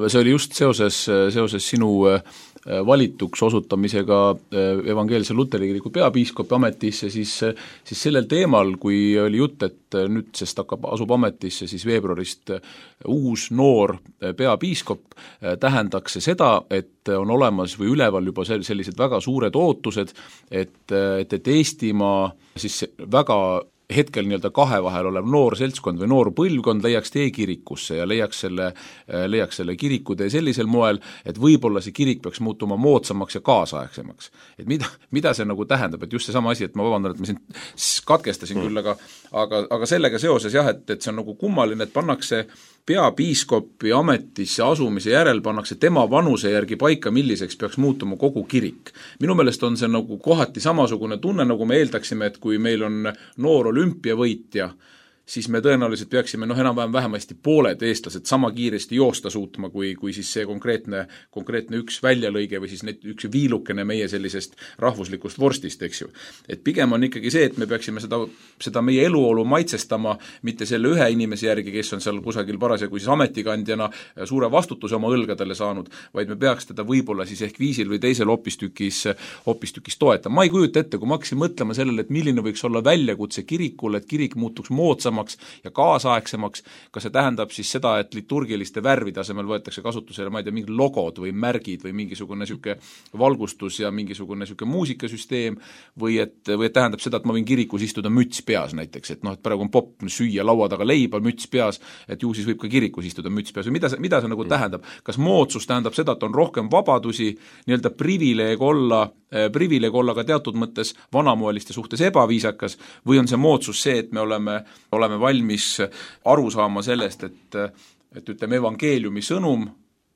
see oli just seoses, seoses sinu valituks osutamisega evangeelse Luteri kiriku peapiiskopi ametisse, siis, siis sellel teemal, kui oli jutt, et nüüd sest hakkab, asub ametisse siis veebruarist uus noor peapiiskop, tähendaks see seda, et on olemas või üleval juba sellised väga suured ootused, et, et, et Eestimaa siis väga hetkel nii-öelda kahe vahel olev noor seltskond või noor põlvkond leiaks tee kirikusse ja leiaks selle, leiaks selle kirikutee sellisel moel, et võib-olla see kirik peaks muutuma moodsamaks ja kaasaegsemaks. Et mida, mida see nagu tähendab, et just see sama asi, et ma vabandan, et ma siin katkestasin mm. küll, aga, aga, aga sellega seoses jah, et, et see on nagu kummaline, et pannakse peapiiskopi ametisse asumise järel pannakse tema vanuse järgi paika, milliseks peaks muutuma kogu kirik. Minu meelest on see nagu kohati samasugune tunne, nagu me eeldaksime, et kui meil on noor olümpiavõitja, siis me tõenäoliselt peaksime noh, enam-vähem vähemasti pooled eestlased sama kiiresti joosta suutma, kui, kui siis see konkreetne, konkreetne üks väljalõige või siis need, üks viilukene meie sellisest rahvuslikust vorstist, eks ju. Et pigem on ikkagi see, et me peaksime seda, seda meie eluolu maitsestama mitte selle ühe inimese järgi, kes on seal kusagil parasjagu siis ametikandjana suure vastutuse oma õlgadele saanud, vaid me peaks teda võib-olla siis ehk viisil või teisel hopistükis, hopistükis toetama. Ma ei kujuta ette, kui ma hakkasin mõtlema sellele, et milline võiks olla väljakutse kirikul, et kirik muutuks moodsamaks ja kaasaegsemaks, kas see tähendab siis seda, et liturgiliste värvide asemel võetakse kasutusele, ma ei tea, mingi logod või märgid või mingisugune süke valgustus ja mingisugune süke muusikasüsteem või et, või et tähendab seda, et ma võin kirikus istuda müts peas näiteks, et noh, et praegu on popp süüa laua taga leiba, müts peas, et ju siis võib ka kirikus istuda müts peas või mida see, mida see nagu mm. tähendab? Kas moodsus tähendab seda, et on rohkem vabadusi, nii-öelda privileeg olla, privileeg olla ka teatud mõttes vanamoeliste suhtes ebaviisakas või on see moodsus see, et me oleme, oleme valmis aru saama sellest, et, et ütleme, evangeeliumi sõnum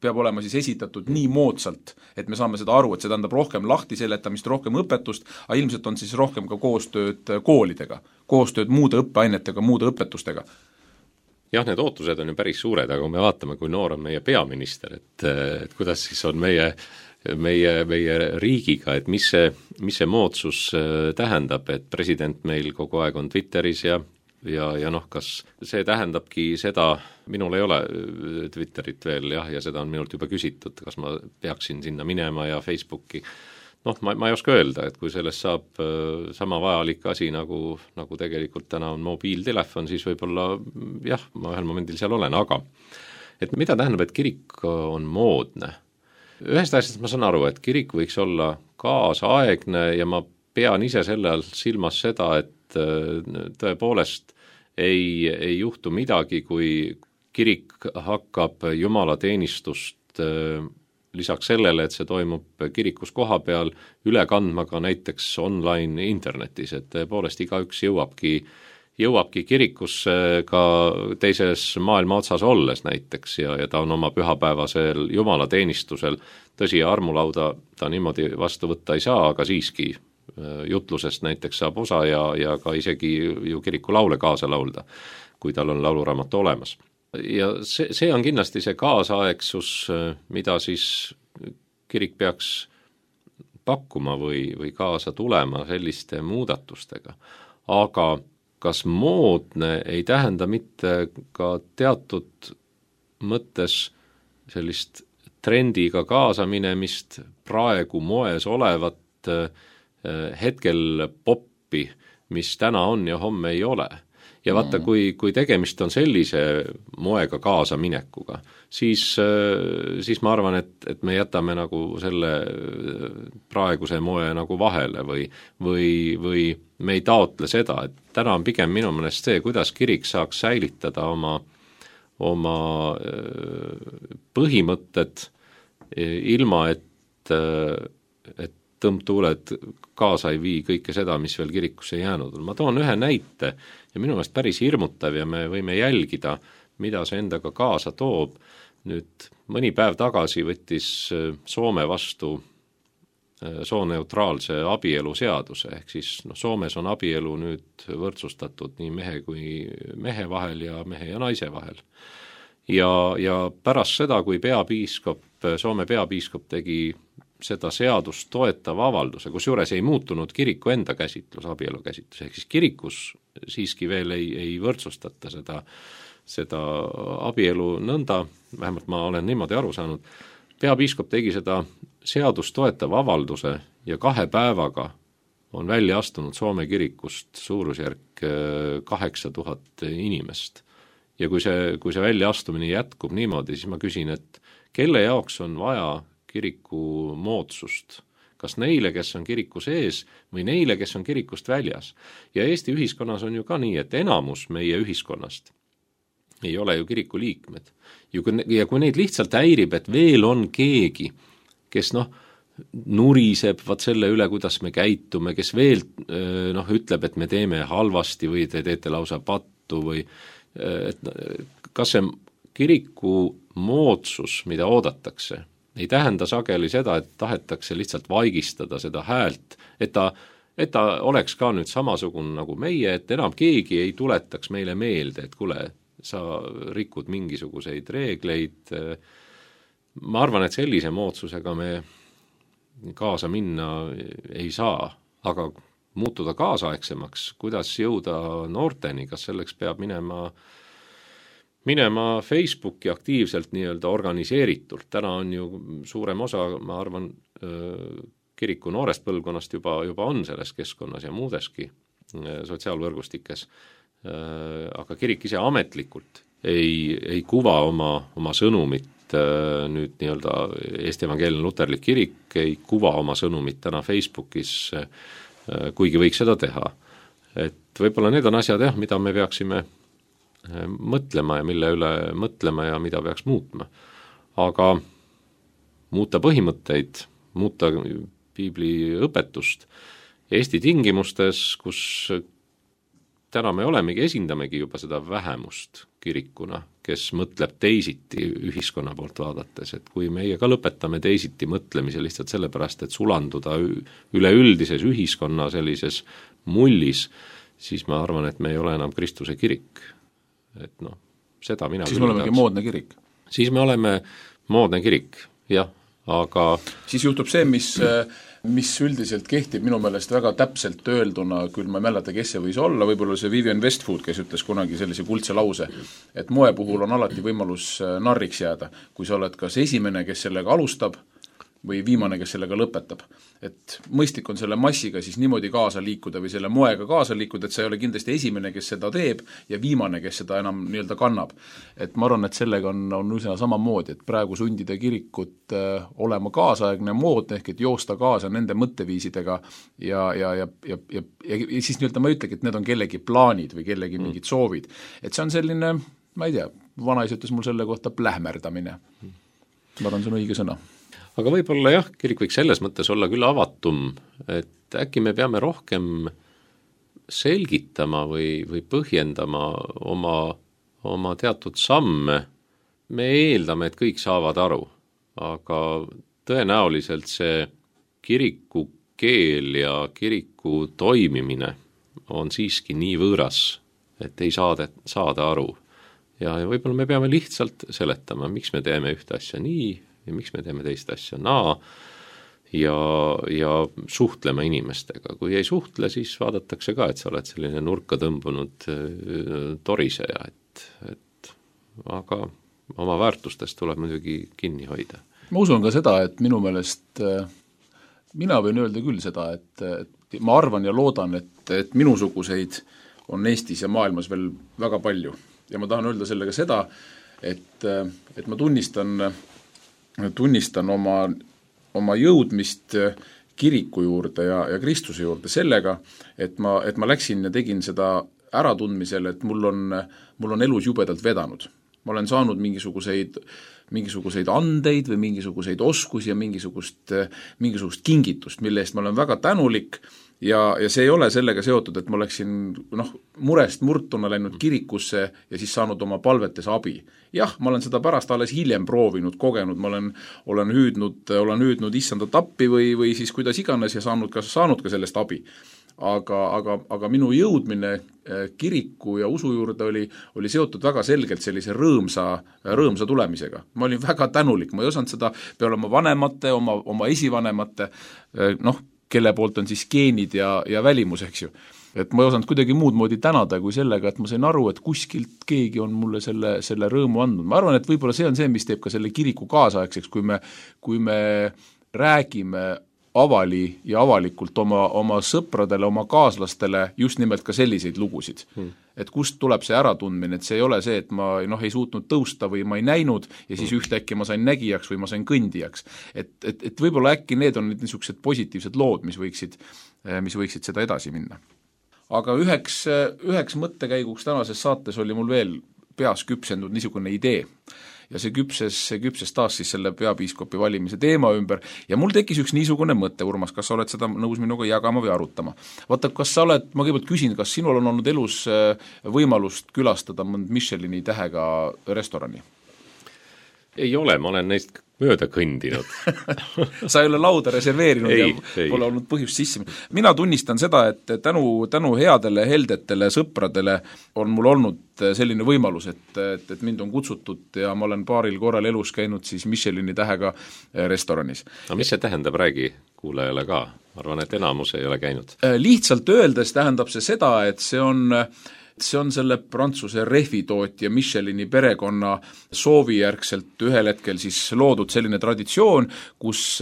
peab olema siis esitatud nii moodsalt, et me saame seda aru, et see tähendab rohkem lahtiseletamist, rohkem õpetust, aga ilmselt on siis rohkem ka koostööd koolidega, koostööd muude õppeainetega, muude õpetustega. Jah, need ootused on ju päris suured, aga kui me vaatame, kui noor on meie peaminister, et, et kuidas siis on meie meie, meie riigiga, et mis see, mis see moodsus tähendab, et president meil kogu aeg on Twitteris ja ja, ja noh, kas see tähendabki seda, minul ei ole Twitterit veel jah, ja seda on minult juba küsitud, kas ma peaksin sinna minema ja Facebooki, noh, ma, ma ei oska öelda, et kui sellest saab sama vajalik asi, nagu, nagu tegelikult täna on mobiiltelefon, siis võib-olla jah, ma ühel momendil seal olen, aga et mida tähendab, et kirik on moodne? ühest asjast ma saan aru, et kirik võiks olla kaasaegne ja ma pean ise selle all silmas seda, et tõepoolest ei, ei juhtu midagi, kui kirik hakkab jumalateenistust lisaks sellele, et see toimub kirikus koha peal, üle kandma ka näiteks online internetis, et tõepoolest igaüks jõuabki, jõuabki kirikusse ka teises maailma otsas olles näiteks ja, ja ta on oma pühapäevasel jumalateenistusel, tõsi, armulauda ta niimoodi vastu võtta ei saa, aga siiski jutlusest näiteks saab osa ja, ja ka isegi ju kiriku laule kaasa laulda, kui tal on lauluraamat olemas. Ja see, see on kindlasti see kaasaegsus, mida siis kirik peaks pakkuma või, või kaasa tulema selliste muudatustega. Aga kas moodne ei tähenda mitte ka teatud mõttes sellist trendiga kaasaminemist praegu moes olevat hetkel poppi, mis täna on ja homme ei ole. Ja vaata, kui, kui tegemist on sellise moega kaasaminekuga, siis, siis ma arvan, et, et me jätame nagu selle praeguse moe nagu vahele või, või, või me ei taotle seda, et täna on pigem minu meelest see, kuidas kirik saaks säilitada oma, oma põhimõtted ilma, et, et tõmbtuuled kaasa ei vii kõike seda, mis veel kirikusse jäänud on. Ma toon ühe näite ja minu meelest päris hirmutav ja me võime jälgida, mida see endaga kaasa toob. Nüüd mõni päev tagasi võttis Soome vastu sooneutraalse abielu seaduse, ehk siis no, Soomes on abielu nüüd võrdsustatud nii mehe kui mehe vahel ja mehe ja naise vahel. Ja, ja pärast seda, kui peapiiskop, Soome peapiiskop tegi seda seadust toetava avalduse, kus juures ei muutunud kiriku enda käsitlus, abielu käsitlus, ehk siis kirikus siiski veel ei, ei võrdsustata seda, seda abielu nõnda, vähemalt ma olen niimoodi aru saanud, peapiiskop tegi seda seadust toetava avalduse ja kahe päevaga on välja astunud Soome kirikust suurusjärk kaheksa tuhat inimest. Ja kui see, kui see väljaastumine jätkub niimoodi, siis ma küsin, et kelle jaoks on vaja kiriku moodsust, kas neile, kes on kiriku sees või neile, kes on kirikust väljas. Ja Eesti ühiskonnas on ju ka nii, et enamus meie ühiskonnast ei ole ju kiriku liikmed. Ja kui neid lihtsalt häirib, et veel on keegi, kes noh, nuriseb vaat selle üle, kuidas me käitume, kes veel noh, ütleb, et me teeme halvasti või te teete lausa pattu või et kas see kiriku moodsus, mida oodatakse, ei tähenda sageli seda, et tahetakse lihtsalt vaigistada seda häält, et ta, et ta oleks ka nüüd samasugune nagu meie, et enam keegi ei tuletaks meile meelde, et kuule, sa rikud mingisuguseid reegleid. Ma arvan, et sellise moodsusega me kaasa minna ei saa, aga muutuda kaasaegsemaks, kuidas jõuda noorteni, kas selleks peab minema minema Facebooki aktiivselt nii-öelda organiseeritult. Täna on ju suurem osa, ma arvan, kiriku noorest põlvkonnast juba, juba on selles keskkonnas ja muudeski sotsiaalvõrgustikes. Aga kirik ise ametlikult ei, ei kuva oma, oma sõnumit, nüüd nii-öelda Eesti Evangeelne Luterlik kirik ei kuva oma sõnumit täna Facebookis, kuigi võiks seda teha. Et võib-olla need on asjad, jah, mida me peaksime mõtlema ja mille üle mõtlema ja mida peaks muutma. Aga muuta põhimõtteid, muuta piibli õpetust Eesti tingimustes, kus täna me olemegi, esindamegi juba seda vähemust kirikuna, kes mõtleb teisiti ühiskonna poolt vaadates, et kui meie ka lõpetame teisiti mõtlemise lihtsalt sellepärast, et sulanduda üleüldises ühiskonna sellises mullis, siis ma arvan, et me ei ole enam Kristuse kirik. Et noh, seda mina siis me olemegi moodne kirik. Siis me oleme moodne kirik, jah, aga siis juhtub see, mis, mis üldiselt kehtib minu meelest väga täpselt öelduna, küll ma ei mäleta, kes see võis olla, võib-olla see Vivian Westwood, kes ütles kunagi sellise kuldse lause, et moe puhul on alati võimalus narriks jääda, kui sa oled kas esimene, kes sellega alustab, või viimane, kes sellega lõpetab. Et mõistlik on selle massiga siis niimoodi kaasa liikuda või selle moega kaasa liikuda, et sa ei ole kindlasti esimene, kes seda teeb ja viimane, kes seda enam nii-öelda kannab. Et ma arvan, et sellega on, on üsna samamoodi, et praegu sundida kirikut äh, olema kaasaegne mood, ehk et joosta kaasa nende mõtteviisidega ja, ja, ja, ja, ja, ja, ja siis nii-öelda ma ei ütlegi, et need on kellegi plaanid või kellegi mingid soovid. Et see on selline, ma ei tea, vanaisa ütles mul selle kohta plähmerdamine. Ma arvan, see on õige sõna. Aga võib-olla jah, kirik võiks selles mõttes olla küll avatum, et äkki me peame rohkem selgitama või, või põhjendama oma, oma teatud samme. Me eeldame, et kõik saavad aru, aga tõenäoliselt see kiriku keel ja kiriku toimimine on siiski nii võõras, et ei saada, saada aru. Ja, ja võib-olla me peame lihtsalt seletama, miks me teeme ühte asja nii ja miks me teeme teist asja naa ja, ja suhtlema inimestega. Kui ei suhtle, siis vaadatakse ka, et sa oled selline nurka tõmbunud toriseja, et, et aga oma väärtustest tuleb muidugi kinni hoida. Ma usun ka seda, et minu meelest mina võin öelda küll seda, et, et ma arvan ja loodan, et, et minusuguseid on Eestis ja maailmas veel väga palju. Ja ma tahan öelda sellega seda, et, et ma tunnistan, tunnistan oma, oma jõudmist kiriku juurde ja, ja Kristuse juurde sellega, et ma, et ma läksin ja tegin seda äratundmisel, et mul on, mul on elus jubedalt vedanud. Ma olen saanud mingisuguseid, mingisuguseid andeid või mingisuguseid oskusi ja mingisugust, mingisugust kingitust, mille eest ma olen väga tänulik. Ja, ja see ei ole sellega seotud, et ma oleksin noh, murest murtuna läinud kirikusse ja siis saanud oma palvetes abi. Jah, ma olen seda pärast alles hiljem proovinud, kogenud, ma olen, olen hüüdnud, olen hüüdnud issanda tappi või, või siis kuidas iganes ja saanud ka, saanud ka sellest abi. Aga, aga, aga minu jõudmine kiriku ja usu juurde oli, oli seotud väga selgelt sellise rõõmsa, rõõmsa tulemisega. Ma olin väga tänulik, ma ei osanud seda peale oma vanemate, oma, oma esivanemate, noh, kelle poolt on siis geenid ja, ja välimus, eks ju. Et ma ei osanud kuidagi muud moodi tänada kui sellega, et ma sain aru, et kuskilt keegi on mulle selle, selle rõõmu andnud. Ma arvan, et võib-olla see on see, mis teeb ka selle kiriku kaasaegseks, kui me, kui me räägime avali ja avalikult oma, oma sõpradele, oma kaaslastele just nimelt ka selliseid lugusid. Hmm. Et kust tuleb see äratundmine, et see ei ole see, et ma noh, ei suutnud tõusta või ma ei näinud ja siis ühtäkki ma sain nägijaks või ma sain kõndijaks. Et, et, et võib-olla äkki need on niisugused positiivsed lood, mis võiksid, mis võiksid seda edasi minna. Aga üheks, üheks mõttekäiguks tänases saates oli mul veel peas küpsendunud niisugune idee. Ja see küpses, see küpses taas siis selle peapiiskopi valimise teema ümber ja mul tekkis üks niisugune mõte, Urmas, kas sa oled seda nõus minuga jagama või arutama? Vaata, kas sa oled, ma kõigepealt küsin, kas sinul on olnud elus võimalust külastada mõnd Michelini tähega restorani? Ei ole, ma olen neist mööda kõndinud. Sa ei ole lauda reserveerinud ei, ja ei. Pole olnud põhjust sisse. Mina tunnistan seda, et tänu, tänu headele, heldetele sõpradele on mul olnud selline võimalus, et, et, et mind on kutsutud ja ma olen paaril korral elus käinud siis Michelini tähega restoranis. No mis see tähendab, räägi kuulajale ka? Ma arvan, et enamus ei ole käinud. Lihtsalt öeldes tähendab see seda, et see on see on selle Prantsuse rehvitootja Michelini perekonna soovijärgselt ühel hetkel siis loodud selline traditsioon, kus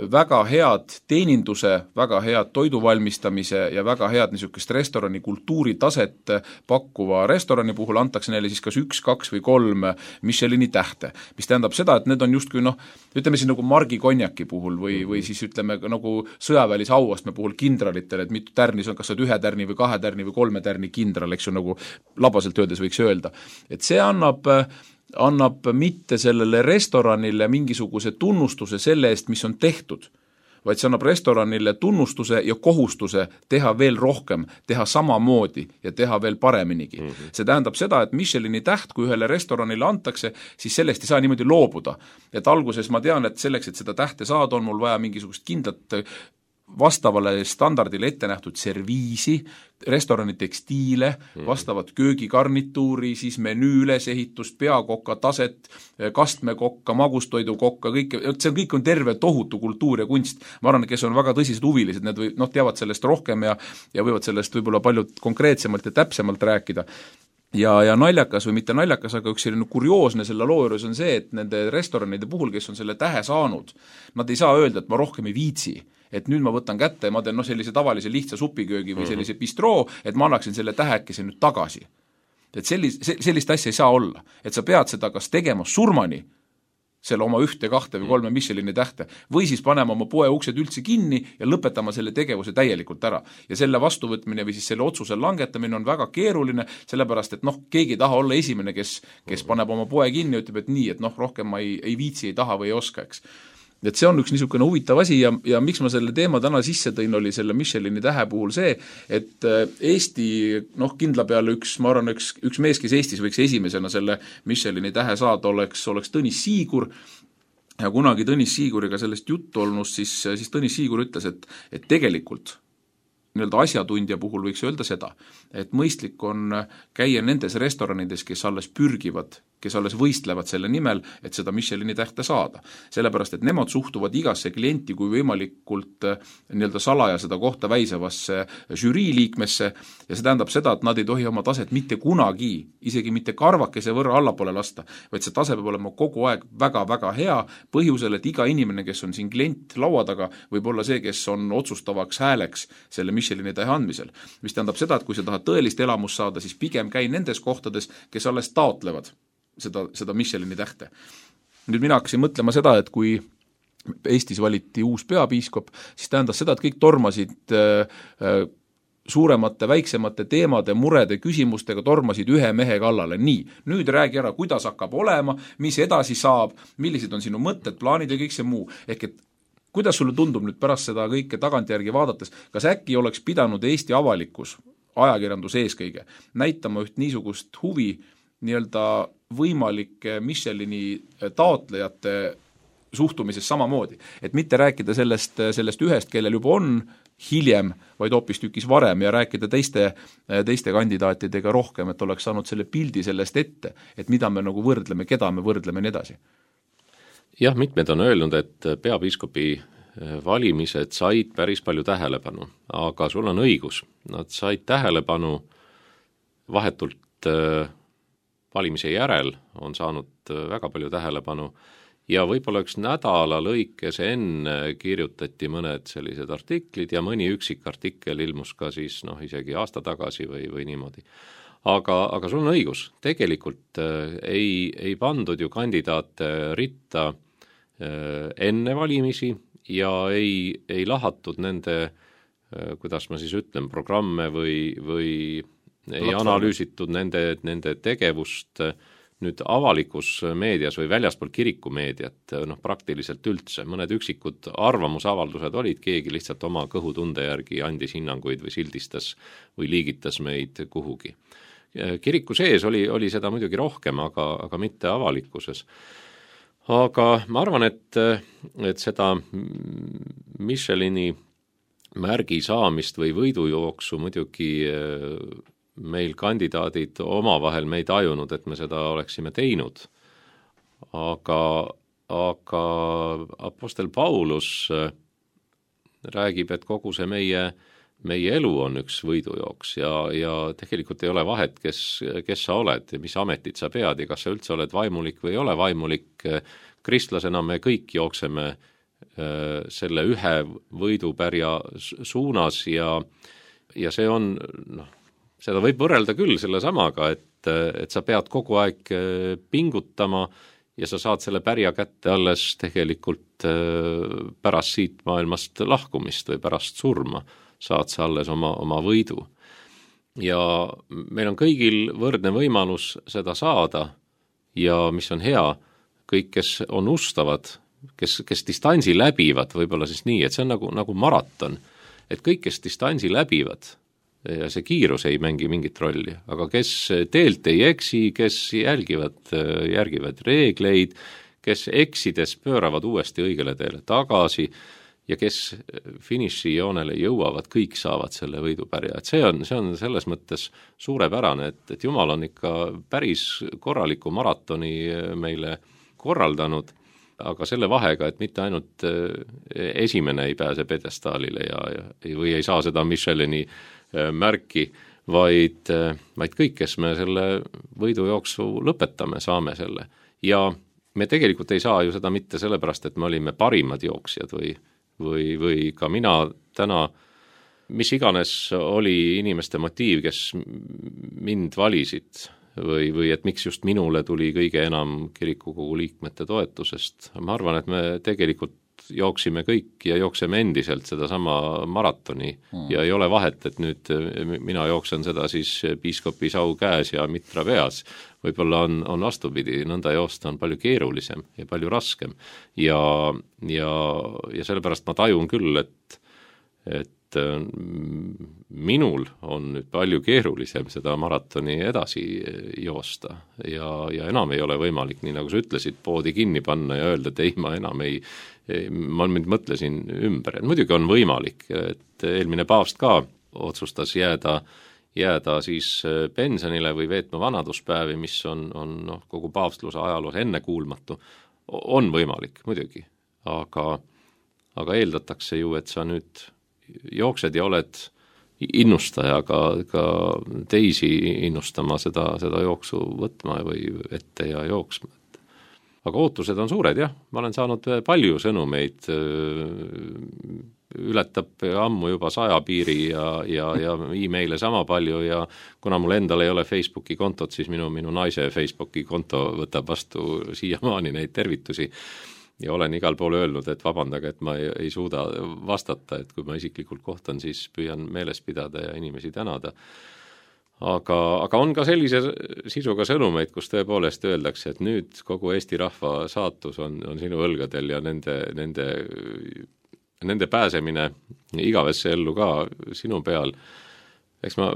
väga head teeninduse, väga head toiduvalmistamise ja väga head niisugust restorani kultuuritaset pakkuva restorani puhul antakse neile siis kas üks, kaks või kolm Michelini tähte, mis tähendab seda, et need on justkui noh, ütleme siis nagu Margi konjaki puhul või, või siis ütleme nagu sõjaväelise auastme puhul kindralitele, et mitu tärnis on, kas on ühe tärni või kahe tärni või kolme tärni kindral, eks ju nagu labaselt öeldes võiks öelda. Et see annab annab mitte sellele restoranile mingisuguse tunnustuse selle eest, mis on tehtud, vaid see annab restoranile tunnustuse ja kohustuse teha veel rohkem, teha samamoodi ja teha veel pareminigi. Mm-hmm. See tähendab seda, et Michelini täht, kui ühele restoranile antakse, siis sellest ei saa niimoodi loobuda. Et alguses ma tean, et selleks, et seda tähte saada, on mul vaja mingisugust kindlat vastavale standardile ette nähtud serviisi, restorani tekstiile, vastavat köögigarnituuri, siis menüü ülesehitust, peakokka taset, kastmekokka, magustoidukokka, kõik, see on, kõik on terve tohutu kultuur ja kunst. Ma arvan, kes on väga tõsised huvilised, need või, noh, teavad sellest rohkem ja, ja võivad sellest võib-olla palju konkreetsemalt ja täpsemalt rääkida. ja, ja naljakas või mitte naljakas, aga üks selline kurioosne selle loo juures on see, et nende restoranide puhul, kes on selle tähe saanud, nad ei saa öelda, et ma rohkem ei viitsi, et nüüd ma võtan kätte ja ma teen no, sellise tavalise lihtsa supiköögi või sellise bistroo, et ma annaksin selle tähekese nüüd tagasi. Et sellis, sellist asja ei saa olla, et sa pead seda kas tegema surmani, selle oma ühte, kahte või kolme Michelini tähte, või siis panema oma poe uksed üldse kinni ja lõpetama selle tegevuse täielikult ära. Ja selle vastuvõtmine või siis selle otsuse langetamine on väga keeruline, sellepärast et noh, keegi ei taha olla esimene, kes, kes paneb oma poe kinni ja ütleb, et nii, et noh, rohkem ma ei, ei viitsi, ei taha või ei oska, eks. Et see on üks niisugune huvitav asi ja, ja miks ma selle teema täna sisse tõin, oli selle Michelini tähe puhul see, et Eesti, noh kindla peale üks, ma arvan, üks, üks mees, kes Eestis võiks esimesena selle Michelini tähe saada, oleks, oleks Tõnis Siigur, ja kunagi Tõnis Siiguriga sellest juttu olnud, siis, siis Tõnis Siigur ütles, et, et tegelikult nii-öelda asjatundja puhul võiks öelda seda, et mõistlik on käia nendes restoranides, kes alles pürgivad, kes alles võistlevad selle nimel, et seda Michelini tähte saada. Sellepärast, et nemad suhtuvad igasse klienti kui võimalikult nii-öelda salaja seda kohta väisavasse žürii liikmesse ja see tähendab seda, et nad ei tohi oma taset mitte kunagi, isegi mitte karvakese võrra allapoole lasta, vaid see tase peab olema kogu aeg väga-väga hea põhjusel, et iga inimene, kes on siin klient laua taga, võib olla see, kes on otsustavaks hääleks selle Michelini tähe andmisel. Mis tähendab seda, et kui sa tahad tõelist elamust saada, siis pigem käi nendes kohtades, kes alles taotlevad seda, seda Michelini tähte. Nüüd mina hakkasin mõtlema seda, et kui Eestis valiti uus peapiiskop, siis tähendas seda, et kõik tormasid äh, äh, suuremate, väiksemate teemade, murede, küsimustega tormasid ühe mehe kallale. Nii, nüüd räägi ära, kuidas hakkab olema, mis edasi saab, millised on sinu mõtted, plaanid ja kõik see muu. Ehk et kuidas sulle tundub nüüd pärast seda kõike tagantjärgi vaadates, kas äkki oleks pidanud Eesti avalikkus, ajakirjandus eeskõige, näitama üht niisugust huvi nii-öelda võimalike Michelini taotlejate suhtumises samamoodi, et mitte rääkida sellest, sellest ühest, kellel juba on hiljem, vaid hoopis tükis varem ja rääkida teiste, teiste kandidaatidega rohkem, et oleks saanud selle pildi sellest ette, et mida me nagu võrdleme, keda me võrdleme nii edasi. Jah, mitmed on öelnud, et peapiiskopi valimised said päris palju tähelepanu, aga sul on õigus, nad said tähelepanu vahetult valimise järel, on saanud väga palju tähelepanu ja võib-olla üks nädala lõikes enne kirjutati mõned sellised artiklid ja mõni üksik artikkel ilmus ka siis noh, isegi aasta tagasi või, või niimoodi. Aga, aga sul on õigus, tegelikult äh, ei, ei pandud ju kandidaate ritta äh, enne valimisi ja ei, ei lahatud nende, äh, kuidas ma siis ütlen, programme või, või ei analüüsitud nende, nende tegevust äh, nüüd avalikus meedias või väljaspool kirikumeediat, noh praktiliselt üldse, mõned üksikud arvamusavaldused olid, keegi lihtsalt oma kõhutunde järgi andis hinnanguid või sildistas või liigitas meid kuhugi. Kiriku sees oli, oli seda muidugi rohkem, aga, aga mitte avalikkuses. Aga ma arvan, et, et seda Michelini märgi saamist või võidujooksu muidugi meil kandidaadid omavahel me ei tajunud, et me seda oleksime teinud. Aga, aga apostel Paulus räägib, et kogu see meie, meie elu on üks võidujooks ja, ja tegelikult ei ole vahet, kes, kes sa oled ja mis ametit sa pead ja kas sa üldse oled vaimulik või ei ole vaimulik. Kristlasena me kõik jookseme selle ühe võidupärja suunas ja, ja see on noh, seda võib võrrelda küll selle samaga, et, et sa pead kogu aeg pingutama ja sa saad selle pärja kätte alles tegelikult pärast siit maailmast lahkumist või pärast surma saad sa alles oma, oma võidu. Ja meil on kõigil võrdne võimalus seda saada ja mis on hea, kõik, kes on ustavad, kes, kes distantsi läbivad, võib-olla siis nii, et see on nagu, nagu maraton, et kõik, kes distantsi läbivad, ja see kiirus ei mängi mingit rolli, aga kes teelt ei eksi, kes jälgivad, järgivad reegleid, kes eksides pööravad uuesti õigele teele tagasi ja kes finišijoonele jõuavad, kõik saavad selle võidupärja. Et see on, see on selles mõttes suurepärane, et, et Jumal on ikka päris korraliku maratoni meile korraldanud, aga selle vahega, et mitte ainult esimene ei pääse pedestaalile ja, ja, või ei saa seda Michelini märki, vaid, vaid kõik, kes me selle võidujooksu lõpetame, saame selle. Ja me tegelikult ei saa ju seda mitte sellepärast, et me olime parimad jooksjad või, või, või ka mina täna, mis iganes oli inimeste motiiv, kes mind valisid või, või et miks just minule tuli kõige enam kirikukogu liikmete toetusest. Ma arvan, et me tegelikult jooksime kõik ja jookseme endiselt seda sama maratoni hmm. ja ei ole vahet, et nüüd mina jooksen seda siis piiskopi sau käes ja mitra peas. Võib-olla on, on vastupidi, nõnda joosta on palju keerulisem ja palju raskem ja, ja, ja sellepärast ma tajun küll, et, et minul on nüüd palju keerulisem seda maratoni edasi joosta ja, ja enam ei ole võimalik, nii nagu sa ütlesid, poodi kinni panna ja öelda, et ei, ma enam ei, ma nüüd mõtlesin ümber, et muidugi on võimalik, et eelmine paavst ka otsustas jääda, jääda siis pensionile või veetma vanaduspäevi, mis on, on noh, kogu paavstluse ajaloos ennekuulmatu, on võimalik muidugi, aga, aga eeldatakse ju, et sa nüüd jooksed ja oled innustaja ka, ka teisi innustama seda, seda jooksu võtma või ette ja jooksma. Aga ootused on suured, jah, ma olen saanud palju sõnumeid, ületab ammu juba saja piiri ja, ja, ja e-maile sama palju ja kuna mul endal ei ole Facebooki kontot, siis minu, minu naise Facebooki konto võtab vastu siiamaani neid tervitusi. Ja olen igal pool öelnud, et vabandage, et ma ei, ei suuda vastata, et kui ma isiklikult kohtan, siis püüan meeles pidada ja inimesi tänada. Aga, aga on ka sellise sisuga sõnumeid, kus tõepoolest öeldakse, et nüüd kogu Eesti rahva saatus on, on sinu õlgadel ja nende, nende, nende pääsemine igavesse ellu ka sinu peal. Eks ma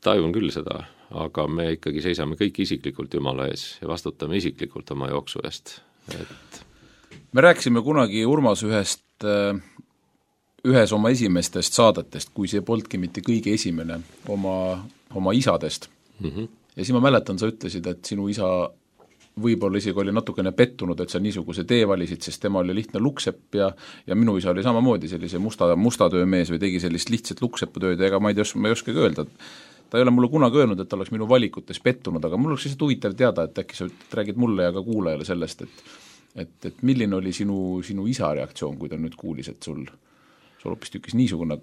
tajun küll seda, aga me ikkagi seisame kõik isiklikult Jumala ees ja vastutame isiklikult oma jooksu eest, et me rääkisime kunagi Urmas ühest, ühes oma esimestest saadetest, kui see polnudki mitte kõige esimene oma, oma isadest. Mm-hmm. Ja siis ma mäletan, sa ütlesid, et sinu isa võib-olla isegi oli natukene pettunud, et sa niisuguse tee valisid, sest tema oli lihtne luksepp ja, ja minu isa oli samamoodi sellise musta, musta töömees või tegi sellist lihtsat lukseputööd ja ega ma ei, tea, ma ei oskagi öelda, ta ei ole mulle kunagi öelnud, et ta oleks minu valikutes pettunud, aga mul oleks lihtsalt huvitav teada, et äkki sa räägid mulle ja ka kuulajale sellest, et Et, et milline oli sinu, sinu isa reaktsioon, kui ta nüüd kuulis, et sul, sul hoopis tükis niisugune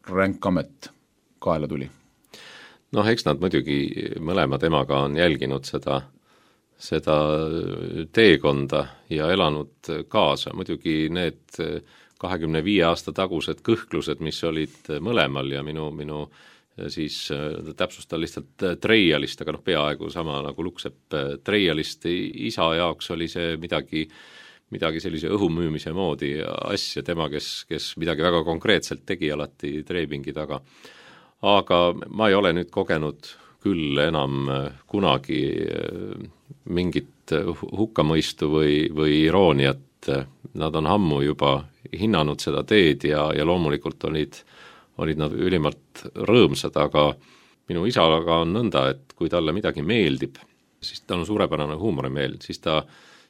ränk amet kaela tuli? Noh, eks nad muidugi mõlema temaga on jälginud seda, seda teekonda ja elanud kaasa. Muidugi need kahekümne viie aasta tagused kõhklused, mis olid mõlemal ja minu, minu siis täpsustan lihtsalt treialist, aga noh, peaaegu sama nagu luksepp treialist isa jaoks oli see midagi, midagi sellise õhumüümise moodi asja, tema, kes, kes midagi väga konkreetselt tegi alati treipingi taga. Aga ma ei ole nüüd kogenud küll enam kunagi mingit hukkamõistu või, või irooniat. Nad on ammu juba hinnanud seda teed ja, ja loomulikult olid olid nad ülimalt rõõmsad, aga minu isaga on nõnda, et kui talle midagi meeldib, siis tal on suurepärane huumorimeel, siis ta,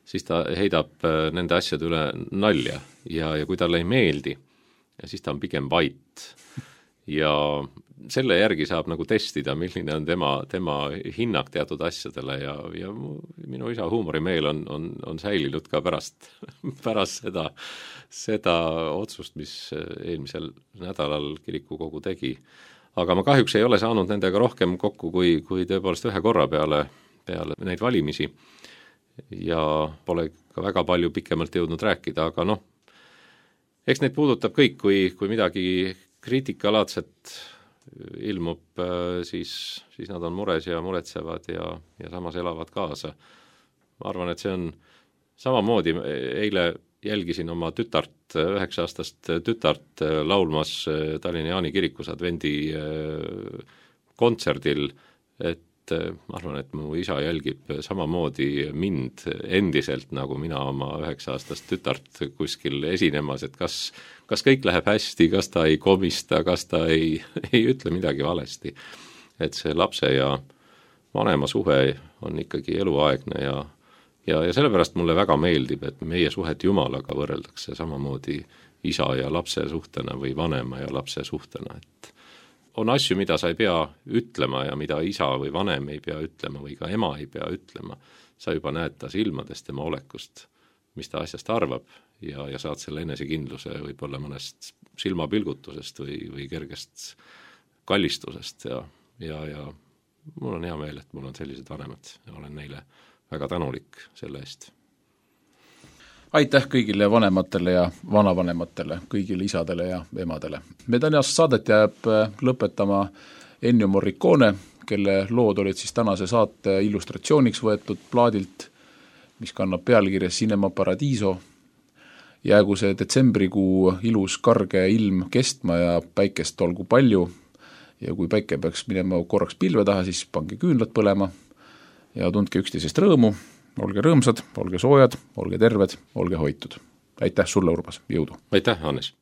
siis ta heidab nende asjade üle nalja ja, ja kui talle ei meeldi, siis ta on pigem vait. Ja selle järgi saab nagu testida, milline on tema, tema hinnang teatud asjadele ja, ja minu isa huumorimeel on, on, on säilinud ka pärast, pärast seda, seda otsust, mis eelmisel nädalal kirikukogu tegi. Aga ma kahjuks ei ole saanud nendega rohkem kokku kui, kui tõepoolest ühe korra peale, peale neid valimisi ja pole ka väga palju pikemalt jõudnud rääkida, aga noh, eks neid puudutab kõik, kui, kui midagi kriitikalaadset ilmub, siis, siis nad on mures ja muretsevad ja, ja samas elavad kaasa. Ma arvan, et see on samamoodi, eile jälgisin oma tütart, üheksa-aastast tütart laulmas Tallinna Jaani kirikus advendi kontserdil, et ma arvan, et mu isa jälgib samamoodi mind endiselt, nagu mina oma üheksa-aastast tütart kuskil esinemas, et kas, kas kõik läheb hästi, kas ta ei komista, kas ta ei, ei ütle midagi valesti. Et see lapse ja vanema suhe on ikkagi eluaegne ja, ja, ja sellepärast mulle väga meeldib, et meie suhet Jumalaga võrreldakse samamoodi isa ja lapse suhtena või vanema ja lapse suhtena, et on asju, mida sa ei pea ütlema ja mida isa või vanem ei pea ütlema või ka ema ei pea ütlema. Sa juba näed ta silmadest, tema olekust, mis ta asjast arvab ja, ja saad selle enesekindluse võib-olla mõnest silmapilgutusest või, või kergest kallistusest ja, ja, ja mul on hea meel, et mul on sellised vanemad ja olen neile väga tänulik selle eest. Aitäh kõigile vanematele ja vanavanematele, kõigile isadele ja emadele. Me tänast saadet jääb lõpetama Ennio Morricone, kelle lood olid siis tänase saate illustratsiooniks võetud plaadilt, mis kannab pealkirja Cinema Paradiso. Jäägu see detsembrikuu ilus karge ilm kestma ja päikest olgu palju ja kui päike peaks minema korraks pilve taha, siis pange küünlad põlema ja tundke üksteisest rõõmu, olge rõõmsad, olge soojad, olge terved, olge hoitud. Aitäh sulle, Urbas, jõudu! Aitäh, Hannes!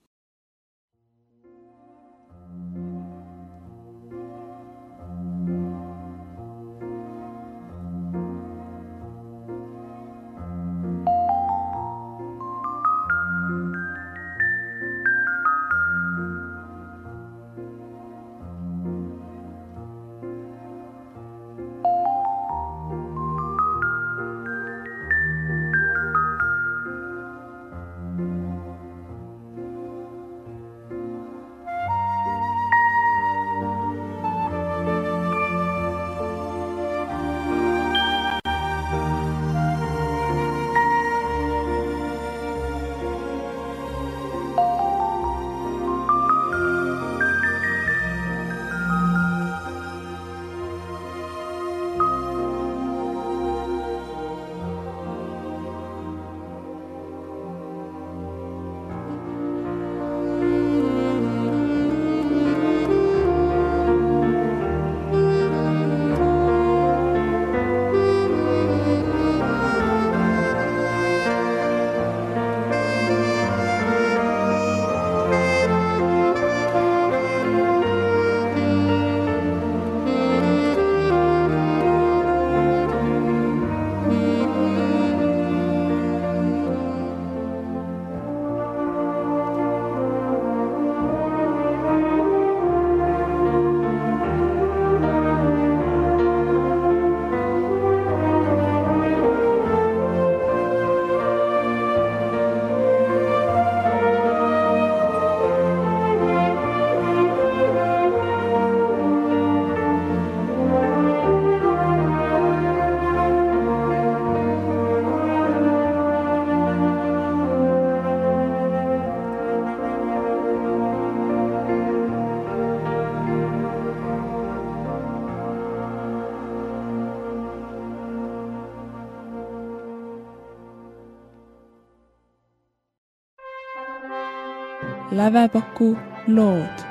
Lävepaku lood.